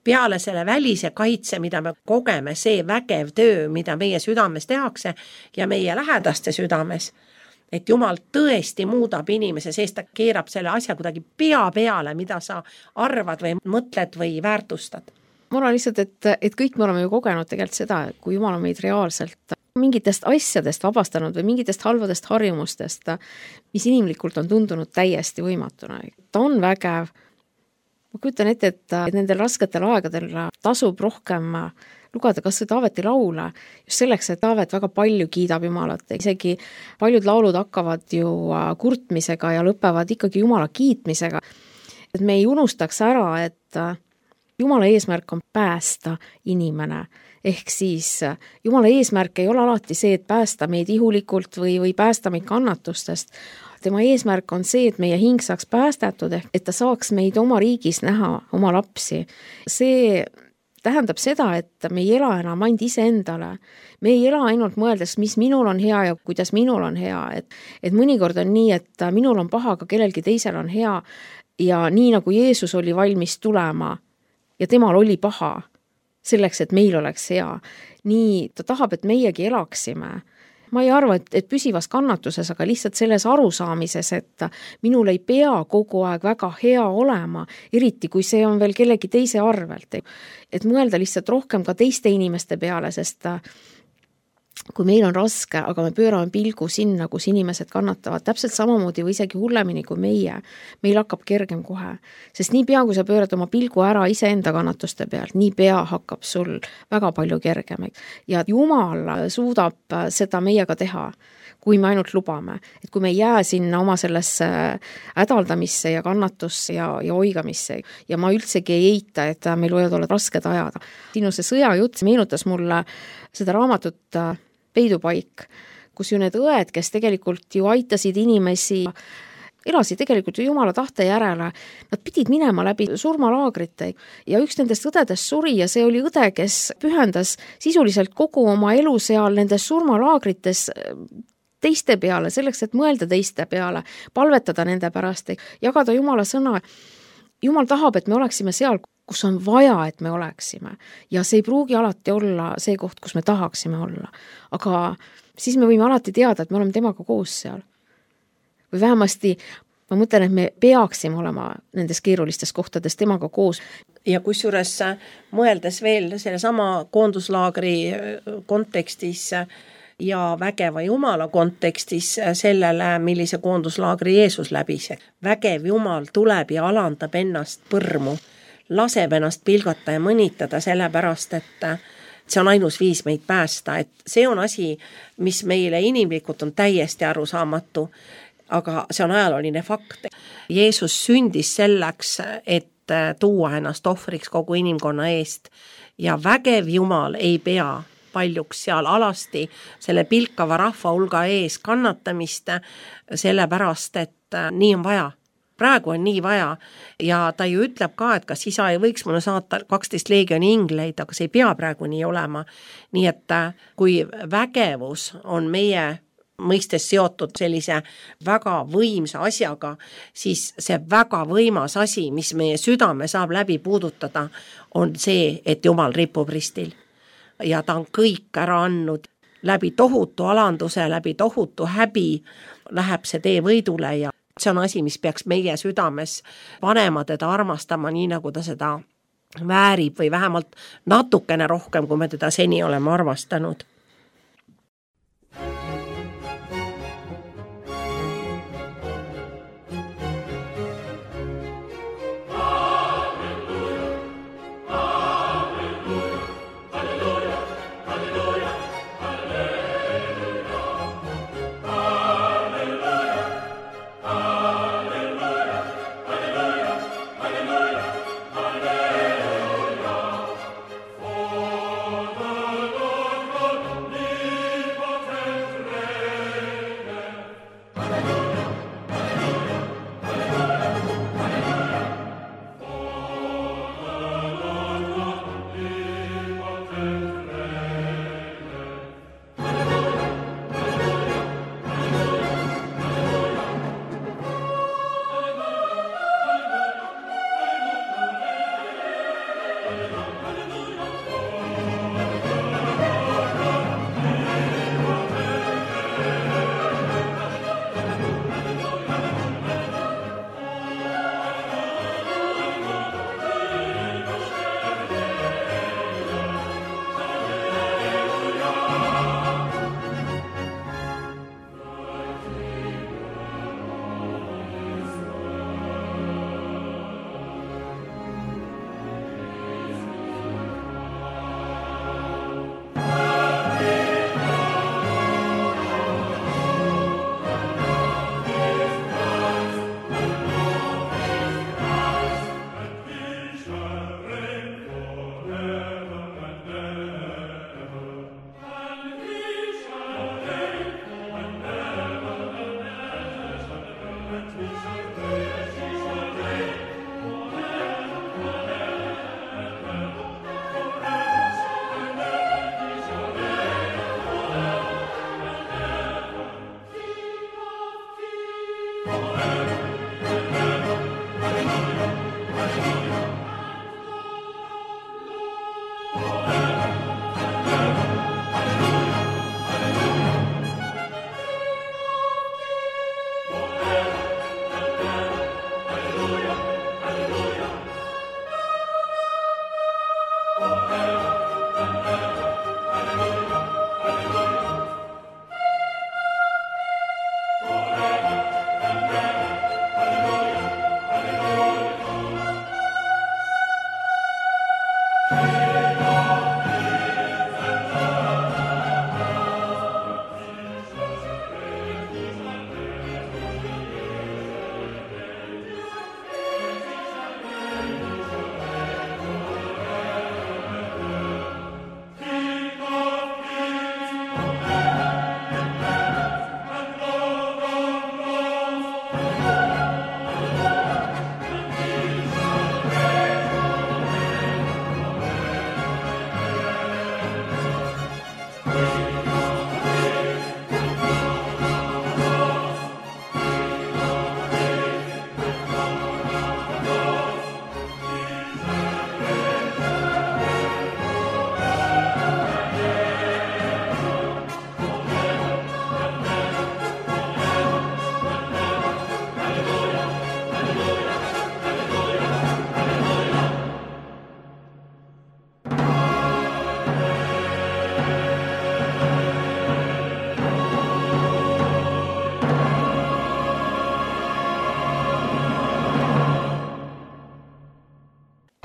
Peale selle välise kaitse, mida me kogeme, see vägev töö, mida meie südames tehakse ja meie lähedaste südames, et Jumal tõesti muudab inimese, sest ta keerab selle asja kuidagi pea peale, mida sa arvad või mõtled või väärtustad. Ma arvan lihtsalt, et, et kõik me oleme ju kogenud tegelikult seda, kui Jumal on meid reaalselt mingitest asjadest vabastanud või mingitest halvadest harjumustest, mis inimlikult on tundunud täiesti võimatuna. Ta on vägev. Ma kujutan ette, et nendel rasketel aegadel tasub rohkem lugeda kas või Taaveti laule, just selleks, et Taavet väga palju kiidab Jumalat. Isegi paljud laulud hakkavad ju kurtmisega ja lõpevad ikkagi Jumala kiitmisega. Et me ei unustaks ära, et Jumala eesmärk on päästa inimene. Ehk siis Jumala eesmärk ei ole alati see, et päästa meid ihulikult või, või päästa meid kannatustest. Tema eesmärk on see, et meie hing saaks päästetud, ehk et ta saaks meid oma riigis näha, oma lapsi. See tähendab seda, et me ei ela enam ainult iseendale. Me ei ela ainult mõeldes, mis minul on hea ja kuidas minul on hea. Et, et mõnikord on nii, et minul on paha, aga kellelgi teisel on hea. Ja nii nagu Jeesus oli valmis tulema ja temal oli paha selleks, et meil oleks hea. Nii ta tahab, et meiegi elaksime. Ma ei arva, et, et püsivas kannatuses, aga lihtsalt selles arusaamises, et minul ei pea kogu aeg väga hea olema, eriti kui see on veel kellegi teise arvelt. Et mõelda lihtsalt rohkem ka teiste inimeste peale, sest kui meil on raske, aga me pöörame pilgu sinna, kus inimesed kannatavad täpselt samamoodi või isegi hullemini kui meie, meil hakkab kergem kohe. Sest nii pea, kui sa pöörad oma pilgu ära iseenda kannatuste pealt, nii pea hakkab sul väga palju kergem. Ja Jumal suudab seda meiega teha, kui me ainult lubame. Et kui me ei jää sinna oma sellesse hädaldamisse ja kannatusse ja, ja oigamisse. Ja ma üldsegi ei eita, et meil võivad olla rasked ajad. Sinu see sõjajutt meenutas mulle seda raamatut Peidupaik, kus ju need õed, kes tegelikult ju aitasid inimesi, elasid tegelikult ju Jumala tahte järele, nad pidid minema läbi surmalaagrite ja üks nendest õdedest suri ja see oli õde, kes pühendas sisuliselt kogu oma elu seal nendes surmalaagrites teiste peale, selleks, et mõelda teiste peale, palvetada nende pärast, jagada Jumala sõna. Jumal tahab, et me oleksime seal, kus on vaja, et me oleksime. Ja see ei pruugi alati olla see koht, kus me tahaksime olla. Aga siis me võime alati teada, et me oleme temaga koos seal. Või vähemasti ma mõtlen, et me peaksime olema nendes keerulistes kohtades temaga koos. Ja kusjuures mõeldes veel selle sama koonduslaagri kontekstis ja vägeva Jumala kontekstis sellele, millise koonduslaagri Jeesus läbis. Vägev Jumal tuleb ja alandab ennast põrmu, laseb ennast pilgata ja mõnitada sellepärast, et see on ainus viis meid päästa, et see on asi, mis meile inimlikult on täiesti arusaamatu, aga see on ajalooline fakt. Jeesus sündis selleks, et tuua ennast ohvriks kogu inimkonna eest ja vägev Jumal ei pea paljuks seal alasti selle pilkava rahva hulga ees kannatamist, sellepärast, et nii on vaja. Praegu on nii vaja ja ta ju ütleb ka, et kas isa ei võiks mulle saata kaksteist leegioni ingleid, aga see ei pea praegu nii olema. Nii et kui vägevus on meie mõistes seotud sellise väga võimsa asjaga, siis see väga võimas asi, mis meie südame saab läbi puudutada, on see, et Jumal ripub ristil. Ja ta on kõik ära andnud läbi tohutu alanduse, läbi tohutu häbi, läheb see tee võidule ja see on asi, mis peaks meie südames panema teda armastama, nii nagu ta seda väärib või vähemalt natukene rohkem, kui me teda seni oleme armastanud.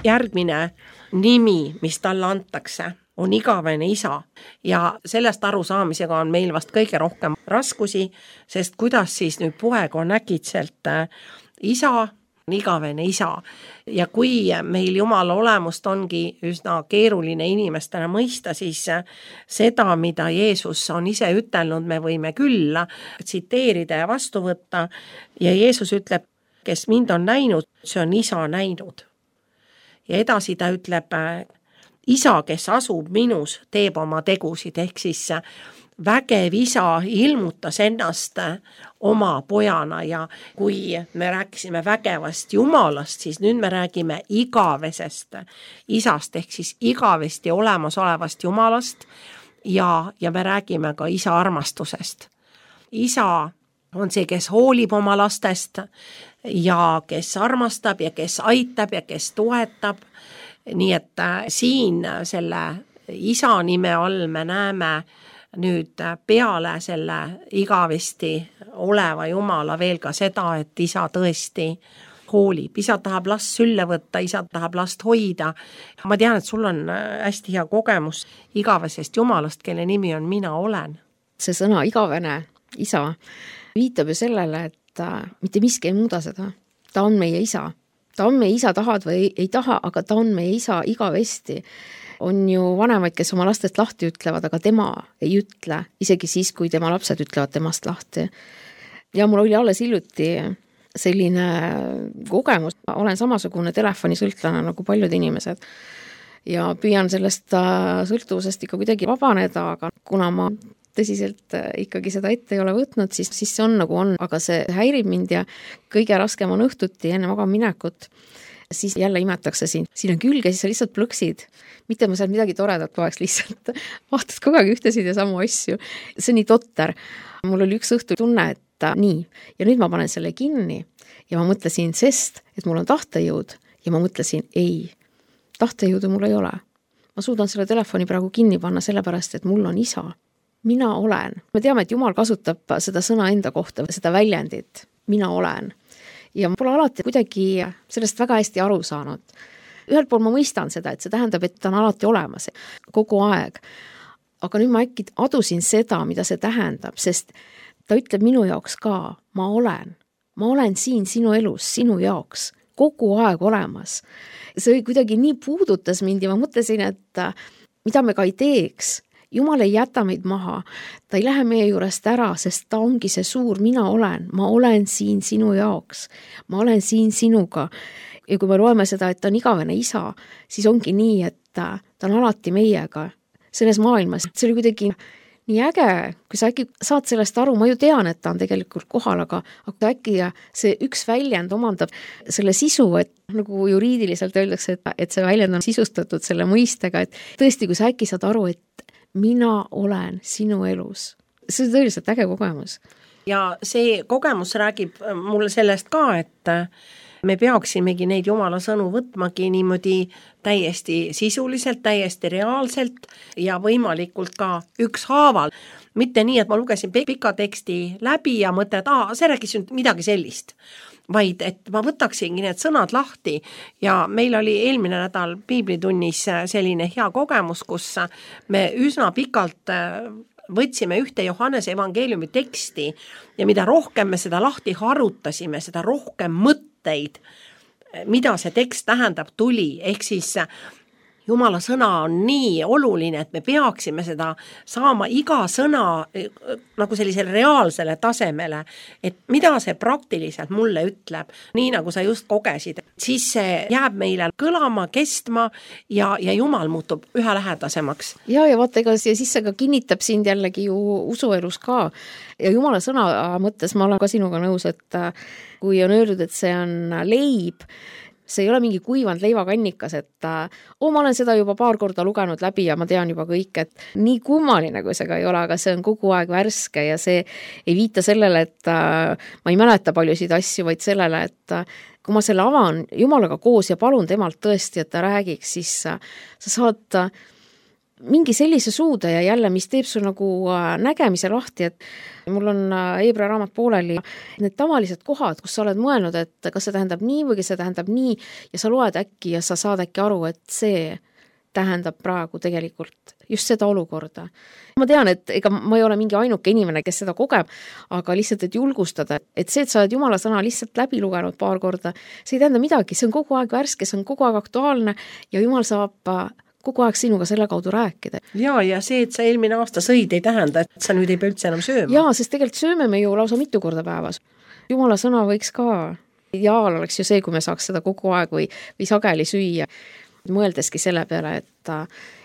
järgmine nimi, mis talle antakse, on igavene isa ja sellest arusaamisega on meil vast kõige rohkem raskusi, sest kuidas siis nüüd poeg on äkitselt isa, on igavene isa ja kui meil Jumala olemust ongi üsna keeruline inimestena mõista, siis seda, mida Jeesus on ise ütelnud, me võime küll tsiteerida ja vastu võtta ja Jeesus ütleb, kes mind on näinud, see on isa näinud. Ja edasi ta ütleb, isa, kes asub minus, teeb oma tegusid, ehk siis vägev isa ilmutas ennast oma pojana ja kui me rääkisime vägevast Jumalast, siis nüüd me räägime igavesest isast, ehk siis igavesti olemasolevast Jumalast ja, ja me räägime ka isa armastusest. Isa on see, kes hoolib oma lastest ja kes armastab ja kes aitab ja kes toetab. Nii et siin selle isa nime all me näeme nüüd peale selle igavesti oleva Jumala veel ka seda, et isa tõesti hoolib. Isa tahab last sülle võtta, isa tahab last hoida. Ma tean, et sul on hästi hea kogemus igavesest Jumalast, kelle nimi on Mina olen. See sõna igavene isa viitab ju sellele, et mitte miski ei muuda seda. Ta on meie isa. Ta on meie isa, tahad või ei, ei taha, aga ta on meie isa igavesti. On ju vanemaid, kes oma lastest lahti ütlevad, aga tema ei ütle, isegi siis, kui tema lapsed ütlevad temast lahti. Ja mul oli alles hiljuti selline kogemus. Olen samasugune telefonisõltlane nagu paljud inimesed ja püüan sellest sõltuvusest ikka kuidagi vabaneda, aga kuna ma tõsiselt ikkagi seda ette ei ole võtnud, siis, siis see on nagu on, aga see häirib mind ja kõige raskem on õhtuti enne magamaminekut, siis jälle imetakse siin, siin on külge, siis sa lihtsalt plõksid, mitte ma seal midagi toredat poeks lihtsalt, vaatad kogu aeg ühtesid ja samu asju, see on nii totter. Mul oli üks õhtu tunne, et nii, ja nüüd ma panen selle kinni ja ma mõtlesin, sest, et mul on tahtejõud ja ma mõtlesin, ei, tahtejõudu mul ei ole. Ma suudan selle telefoni praegu kinni panna sellepärast, et mul on isa. Mina olen. Me teame, et Jumal kasutab seda sõna enda kohta, seda väljendit, mina olen. Ja ma pole alati kuidagi sellest väga hästi aru saanud. Ühelt pool ma mõistan seda, et see tähendab, et ta on alati olemas, kogu aeg. Aga nüüd ma äkki adusin seda, mida see tähendab, sest ta ütleb minu jaoks ka, ma olen. Ma olen siin sinu elus, sinu jaoks, kogu aeg olemas. See kuidagi nii puudutas mind ja ma mõtlesin, et mida me ka ei teeks, Jumal ei jäta meid maha, ta ei lähe meie juurest ära, sest ta ongi see suur, mina olen, ma olen siin sinu jaoks, ma olen siin sinuga. Ja kui me loeme seda, et ta on igavene isa, siis ongi nii, et ta on alati meiega selles maailmas. See oli kuidagi nii äge, kui sa äkki saad sellest aru, ma ju tean, et ta on tegelikult kohal, aga, aga äkki see üks väljend omandab selle sisu, et nagu juriidiliselt öeldakse, et, et see väljend on sisustatud selle mõistega, et tõesti, kui sa äkki saad aru, et mina olen sinu elus. See on tõeliselt äge kogemus. Ja see kogemus räägib mulle sellest ka, et me peaksimegi neid Jumala sõnu võtmagi niimoodi täiesti sisuliselt, täiesti reaalselt ja võimalikult ka ükshaaval. Mitte nii, et ma lugesin pika teksti läbi ja mõtlen, et aa, see rääkis midagi sellist. Vaid, et ma võtaksingi need sõnad lahti ja meil oli eelmine nädal piiblitunnis selline hea kogemus, kus me üsna pikalt võtsime ühte Johannese evangeeliumi teksti ja mida rohkem me seda lahti harutasime, seda rohkem mõtteid, mida see tekst tähendab, tuli, ehk siis Jumala sõna on nii oluline, et me peaksime seda saama iga sõna nagu sellisele reaalsele tasemele, et mida see praktiliselt mulle ütleb, nii nagu sa just kogesid. Siis see jääb meile kõlama, kestma ja, ja Jumal muutub üha lähedasemaks. Ja, ja vaata, ega siis see ka kinnitab sind jällegi ju usuelus ka. Ja Jumala sõna mõttes ma olen ka sinuga nõus, et kui on öeldud, et see on leib, see ei ole mingi kuivanud leivakannikas, et oh, ma olen seda juba paar korda lugenud läbi ja ma tean juba kõik, et nii kummaline, kui see ka ei ole, aga see on kogu aeg värske ja see ei viita sellele, et ma ei mäleta paljusid asju, vaid sellele, et kui ma selle avan Jumalaga koos ja palun temalt tõesti, et ta räägiks, siis sa saad mingi sellise suude ja jälle, mis teeb su nagu nägemise lahti, et mul on Hebra raamat pooleli need tavalised kohad, kus sa oled mõelnud, et kas see tähendab nii või kas see tähendab nii ja sa loed äkki ja sa saad äkki aru, et see tähendab praegu tegelikult just seda olukorda. Ma tean, et ega ma ei ole mingi ainuke inimene, kes seda kogeb, aga lihtsalt, et julgustada, et see, et sa oled Jumala sõna lihtsalt läbi lugenud paar korda, see ei tähenda midagi, see on kogu aeg värske, see on kogu aeg aktuaalne ja Jumal saab kogu aeg sinuga selle kaudu rääkida. Ja, ja see, et sa eelmine aasta sõid, ei tähenda, et sa nüüd ei pea üldse enam sööma. Jaa, sest tegelikult sööme me ju lausa mitu korda päevas. Jumala sõna võiks ka, ideaal oleks ju see, kui me saaks seda kogu aeg või, või sageli süüa. Mõeldeski selle peale, et,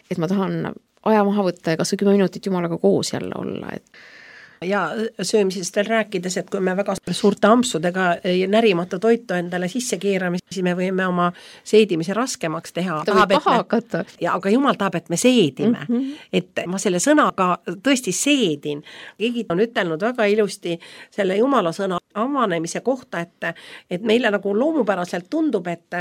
et ma tahan aja maha võtta ja kas või kümme minutit Jumalaga koos jälle olla, et ja söömisest veel rääkides, et kui me väga suurte ampsudega närimata toitu endale sisse keerame, siis me võime oma seedimise raskemaks teha. Ta võib paha hakata. Ja, aga Jumal tahab, et me seedime. Mm -hmm. Et ma selle sõnaga tõesti seedin. Keegi on ütelnud väga ilusti selle Jumala sõna avanemise kohta, et, et meile nagu loomupäraselt tundub, et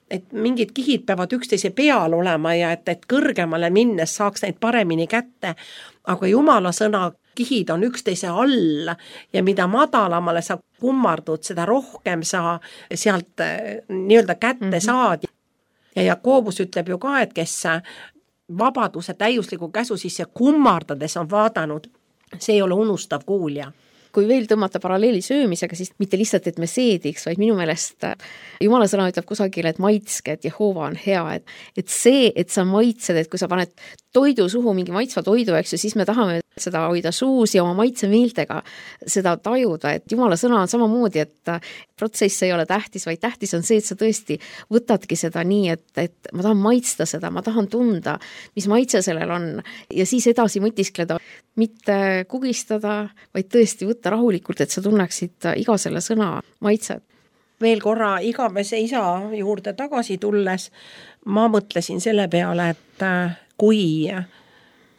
et mingid kihid peavad üksteise peal olema ja et, et kõrgemale minnes saaks neid paremini kätte, aga Jumala sõna kihid on üksteise all ja mida madalamale sa kummardud, seda rohkem sa sealt nii-öelda kätte mm -hmm. saad. Ja Jakobus ütleb ju ka, et kes vabaduse täiusliku käsu sisse kummardades on vaadanud, see ei ole unustav kuulja. Kui veel tõmmata paralleeli söömisega, siis mitte lihtsalt, et me seediks, vaid minu meelest Jumala sõna ütleb kusagil, et maitske, et Jehova on hea, et, et see, et sa maitsed, et kui sa paned toidu suhu, mingi maitsva toidu, eks ju, siis me tahame seda hoida suus ja oma maitsemeeltega seda tajuda, et Jumala sõna on samamoodi, et protsess ei ole tähtis, vaid tähtis on see, et sa tõesti võtadki seda nii, et, et ma tahan maitsta seda, ma tahan tunda, mis maitse sellel on ja siis edasi mõtiskleda, mitte kugistada, vaid tõesti võtta rahulikult, et sa tunneksid iga selle sõna maitset. Veel korra igavese isa juurde tagasi tulles, ma mõtlesin selle peale, et kui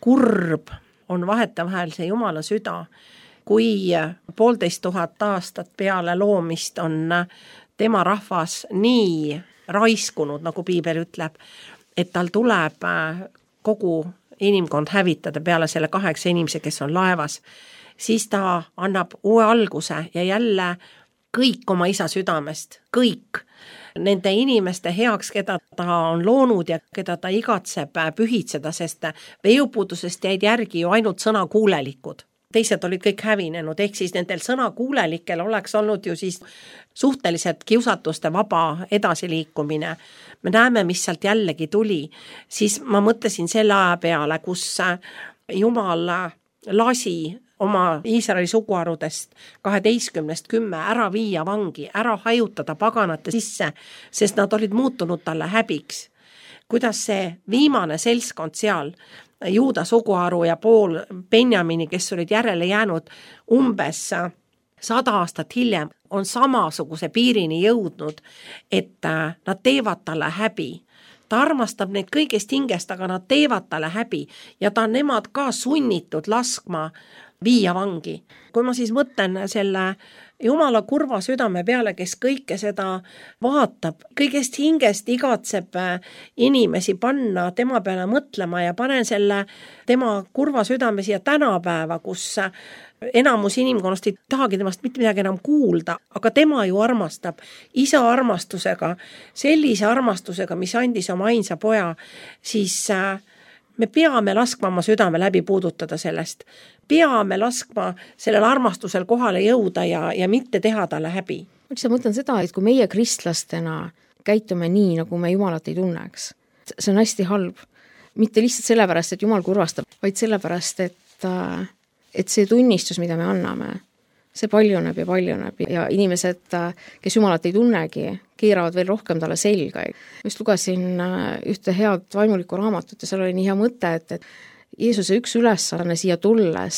kurb on vahetevahel see Jumala süda, kui poolteist tuhat aastat peale loomist on tema rahvas nii raiskunud, nagu piibel ütleb, et tal tuleb kogu inimkond hävitada peale selle kaheksa inimese, kes on laevas, siis ta annab uue alguse ja jälle kõik oma isa südamest, kõik nende inimeste heaks, keda ta on loonud ja keda ta igatseb pühitseda, sest veeupuudusest jäid järgi ju ainult sõnakuulelikud. Teised olid kõik hävinenud, ehk siis nendel sõnakuulelikel oleks olnud ju siis suhteliselt kiusatuste vaba edasiliikumine. Me näeme, mis sealt jällegi tuli. Siis ma mõtlesin selle aja peale, kus Jumal lasi oma Iisraeli suguharudest kaheteistkümnest kümme ära viia vangi, ära hajutada paganate sisse, sest nad olid muutunud talle häbiks. Kuidas see viimane selskond seal, Juuda suguharu ja pool Benjamini, kes olid järele jäänud umbes sada aastat hiljem, on samasuguse piirini jõudnud, et nad teevad talle häbi. Ta armastab neid kõigest hingest, aga nad teevad talle häbi ja ta on nemad ka sunnitud laskma viia vangi. Kui ma siis mõtlen selle Jumala kurva südame peale, kes kõike seda vaatab, kõigest hingest igatseb inimesi panna tema peale mõtlema ja panen selle tema kurva südame siia tänapäeva, kus enamus inimkonnast ei tahagi temast mitte midagi enam kuulda, aga tema ju armastab isa armastusega, sellise armastusega, mis andis oma ainsa poja, siis me peame laskma oma südame läbi puudutada sellest. Peame laskma sellel armastusel kohale jõuda ja, ja mitte teha talle häbi. Ma mõtlen seda, et kui meie kristlastena käitume nii, nagu me Jumalat ei tunneks, see on hästi halb. Mitte lihtsalt sellepärast, et Jumal kurvastab, vaid sellepärast, et, et see tunnistus, mida me anname, see paljuneb ja paljuneb ja inimesed, kes Jumalat ei tunnegi, keeravad veel rohkem talle selga. Just lugesin ühte head vaimulikku raamatut ja seal oli nii hea mõte, et, et Jeesuse üks ülesanne siia tulles,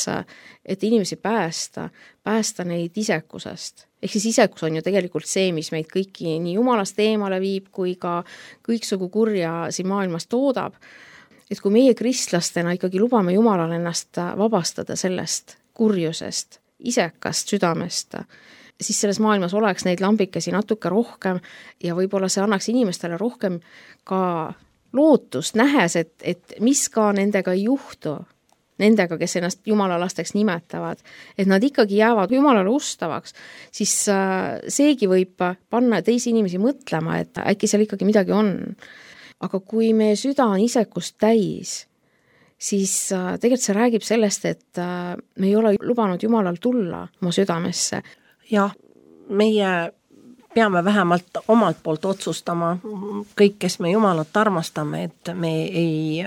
et inimesi päästa, päästa neid isekusest. Ehk siis isekus on ju tegelikult see, mis meid kõiki nii Jumalast eemale viib, kui ka kõiksugu kurja siin maailmas toodab. Et kui meie kristlastena ikkagi lubame Jumalal ennast vabastada sellest kurjusest, isekast südamest, siis selles maailmas oleks neid lambikesi natuke rohkem ja võib-olla see annaks inimestele rohkem ka lootust, nähes, et, et mis ka nendega ei juhtu, nendega, kes ennast Jumala lasteks nimetavad, et nad ikkagi jäävad Jumalale ustavaks, siis seegi võib panna teisi inimesi mõtlema, et äkki seal ikkagi midagi on. aga kui meie süda on isekust täis, siis tegelikult see räägib sellest, et me ei ole lubanud Jumalal tulla oma südamesse. Jah, meie peame vähemalt omalt poolt otsustama kõik, kes me Jumalat armastame, et me ei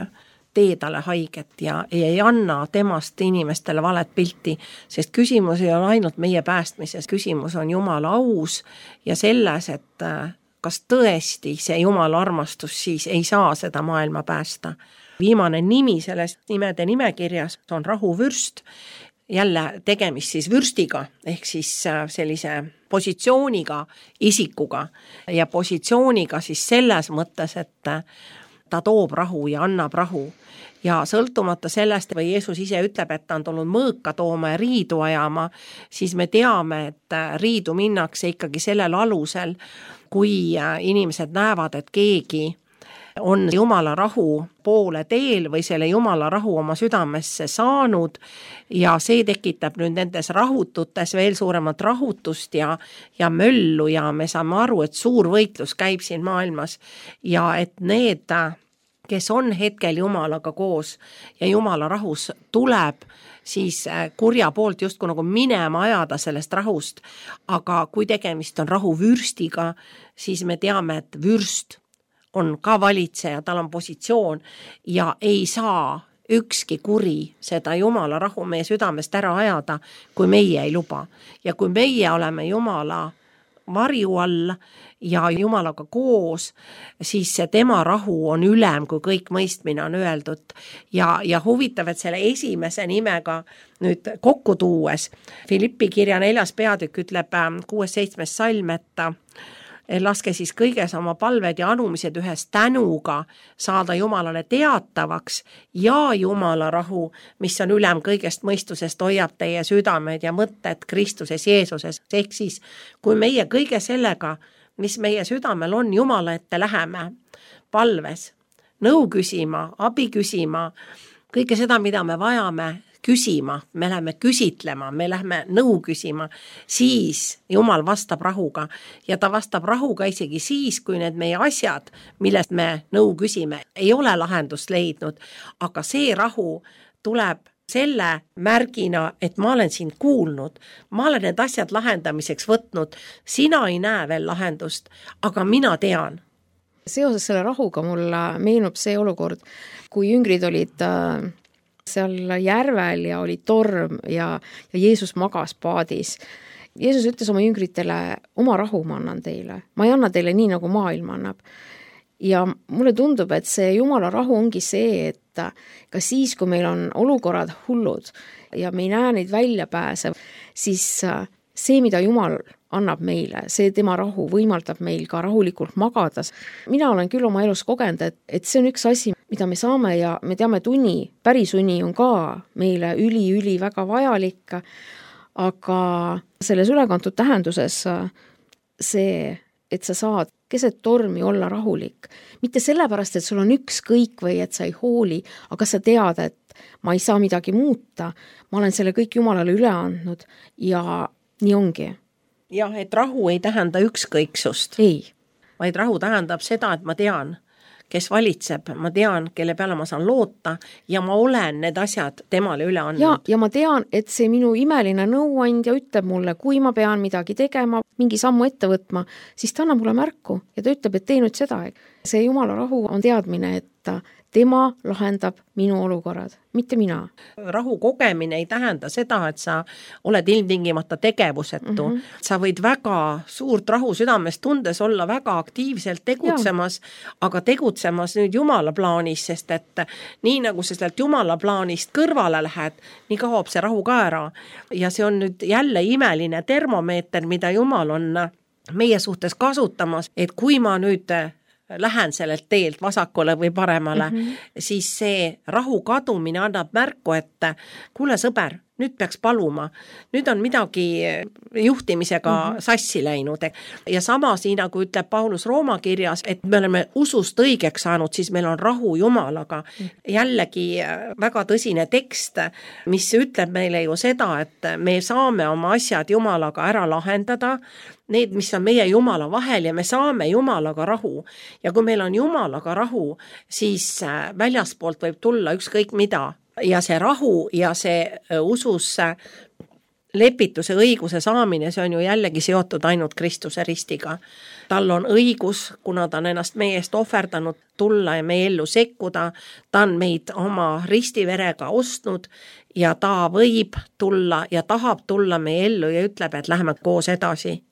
tee talle haiget ja ei anna temast inimestele valet pilti, sest küsimus ei ole ainult meie päästmises, küsimus on Jumala aus ja selles, et kas tõesti see Jumala armastus siis ei saa seda maailma päästa. Viimane nimi selles nimede nimekirjas on rahuvürst, jälle tegemist siis vürstiga, ehk siis sellise positsiooniga isikuga ja positsiooniga siis selles mõttes, et ta toob rahu ja annab rahu. Ja sõltumata sellest, või Jeesus ise ütleb, et ta on tulnud mõõka tooma ja riidu ajama, siis me teame, et riidu minnakse ikkagi sellel alusel, kui inimesed näevad, et keegi on Jumala rahu poole teel või selle Jumala rahu oma südamesse saanud ja see tekitab nüüd nendes rahututes veel suuremat rahutust ja, ja möllu ja me saame aru, et suur võitlus käib siin maailmas ja et need, kes on hetkel Jumalaga koos ja Jumala rahus tuleb, siis kurja poolt justkui nagu minema ajada sellest rahust, aga kui tegemist on rahuvürstiga, siis me teame, et vürst on ka valitseja, tal on positsioon ja ei saa ükski kuri seda Jumala rahu meie südamest ära ajada, kui meie ei luba. Ja kui meie oleme Jumala varju all ja Jumalaga koos, siis see tema rahu on ülem, kui kõik mõistmine on öeldud. Ja, ja huvitav, et selle esimese nimega nüüd kokku tuues, Filippi kirja neljas peatükk ütleb kuues seitsmes salm, et laske siis kõiges oma palved ja anumised ühes tänuga saada Jumalale teatavaks ja Jumala rahu, mis on ülem kõigest mõistusest, hoiab teie südamed ja mõtted Kristuses Jeesuses. Ehk siis, kui meie kõige sellega, mis meie südamel on, Jumala ette läheme palves, nõu küsima, abi küsima, kõike seda, mida me vajame, küsima, me läheme küsitlema, me läheme nõu küsima, siis Jumal vastab rahuga ja ta vastab rahuga isegi siis, kui need meie asjad, millest me nõu küsime, ei ole lahendust leidnud, aga see rahu tuleb selle märgina, et ma olen sind kuulnud, ma olen need asjad lahendamiseks võtnud, sina ei näe veel lahendust, aga mina tean. Seoses selle rahuga mulle meenub see olukord, kui jüngrid olid seal järvel ja oli torm ja, ja Jeesus magas paadis. Jeesus ütles oma jüngritele, oma rahu ma annan teile. Ma ei anna teile nii, nagu maailm annab. Ja mulle tundub, et see Jumala rahu ongi see, et ka siis, kui meil on olukorrad hullud ja me ei näe neid väljapääse, siis see, mida Jumal annab meile, see tema rahu võimaldab meil ka rahulikult magada. Mina olen küll oma elus kogenud, et, et see on üks asi, mida me saame ja me teame tunni, päris uni on ka meile üli-üli väga vajalik, aga selles ülekantud tähenduses see, et sa saad keset tormi olla rahulik. Mitte sellepärast, et sul on ükskõik või et sa ei hooli, aga sa tead, et ma ei saa midagi muuta, ma olen selle kõik Jumalale üle andnud ja nii ongi. Jah, et rahu ei tähenda ükskõiksust. Ei. Vaid rahu tähendab seda, et ma tean, kes valitseb, ma tean, kelle peale ma saan loota ja ma olen need asjad temale üle andnud. Ja, ja ma tean, et see minu imeline nõuandja ütleb mulle, kui ma pean midagi tegema, mingi sammu ette võtma, siis ta annab mulle märku ja ta ütleb, et tee nüüd seda. See Jumala rahu on teadmine, et tema lahendab minu olukorrad, mitte mina. Rahu kogemine ei tähenda seda, et sa oled ilmtingimata tegevusetu. Mm -hmm. Sa võid väga suurt rahu südames tundes olla väga aktiivselt tegutsemas, ja. aga tegutsemas nüüd Jumala plaanis, sest et nii nagu sa sealt Jumala plaanist kõrvale lähed, nii kaob see rahu ka ära. Ja see on nüüd jälle imeline termomeeter, mida Jumal on meie suhtes kasutamas, et kui ma nüüd lähen sellelt teelt vasakule või paremale, mm -hmm. siis see rahu kadumine annab märku, et kuule sõber, nüüd peaks paluma, nüüd on midagi juhtimisega mm -hmm. sassi läinud. Ja samas, nii nagu ütleb Paulus Rooma kirjas, et me oleme usust õigeks saanud, siis meil on rahu Jumalaga. Mm -hmm. Jällegi väga tõsine tekst, mis ütleb meile ju seda, et me saame oma asjad Jumalaga ära lahendada, need, mis on meie Jumala vahel ja me saame Jumalaga rahu. Ja kui meil on Jumalaga rahu, siis väljaspoolt võib tulla ükskõik mida. Ja see rahu ja see usus lepituse õiguse saamine, see on ju jällegi seotud ainult Kristuse ristiga. Tal on õigus, kuna ta on ennast meie eest ohverdanud, tulla ja meie ellu sekkuda, ta on meid oma ristiverega ostnud ja ta võib tulla ja tahab tulla meie ellu ja ütleb, et lähme koos edasi.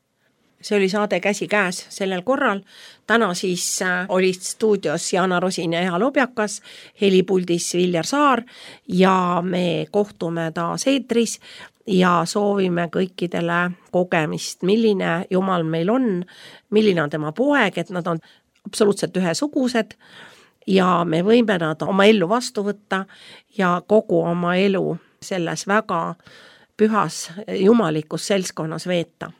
See oli saade Käsikäes sellel korral. Täna siis olid stuudios Jaana Rosin ja Eha Lobjakas, helipuldis Viljar Saar ja me kohtume taas eetris ja soovime kõikidele kogemist, milline Jumal meil on, milline on tema poeg, et nad on absoluutselt ühesugused ja me võime nad oma ellu vastu võtta ja kogu oma elu selles väga pühas jumalikus seltskonnas veeta.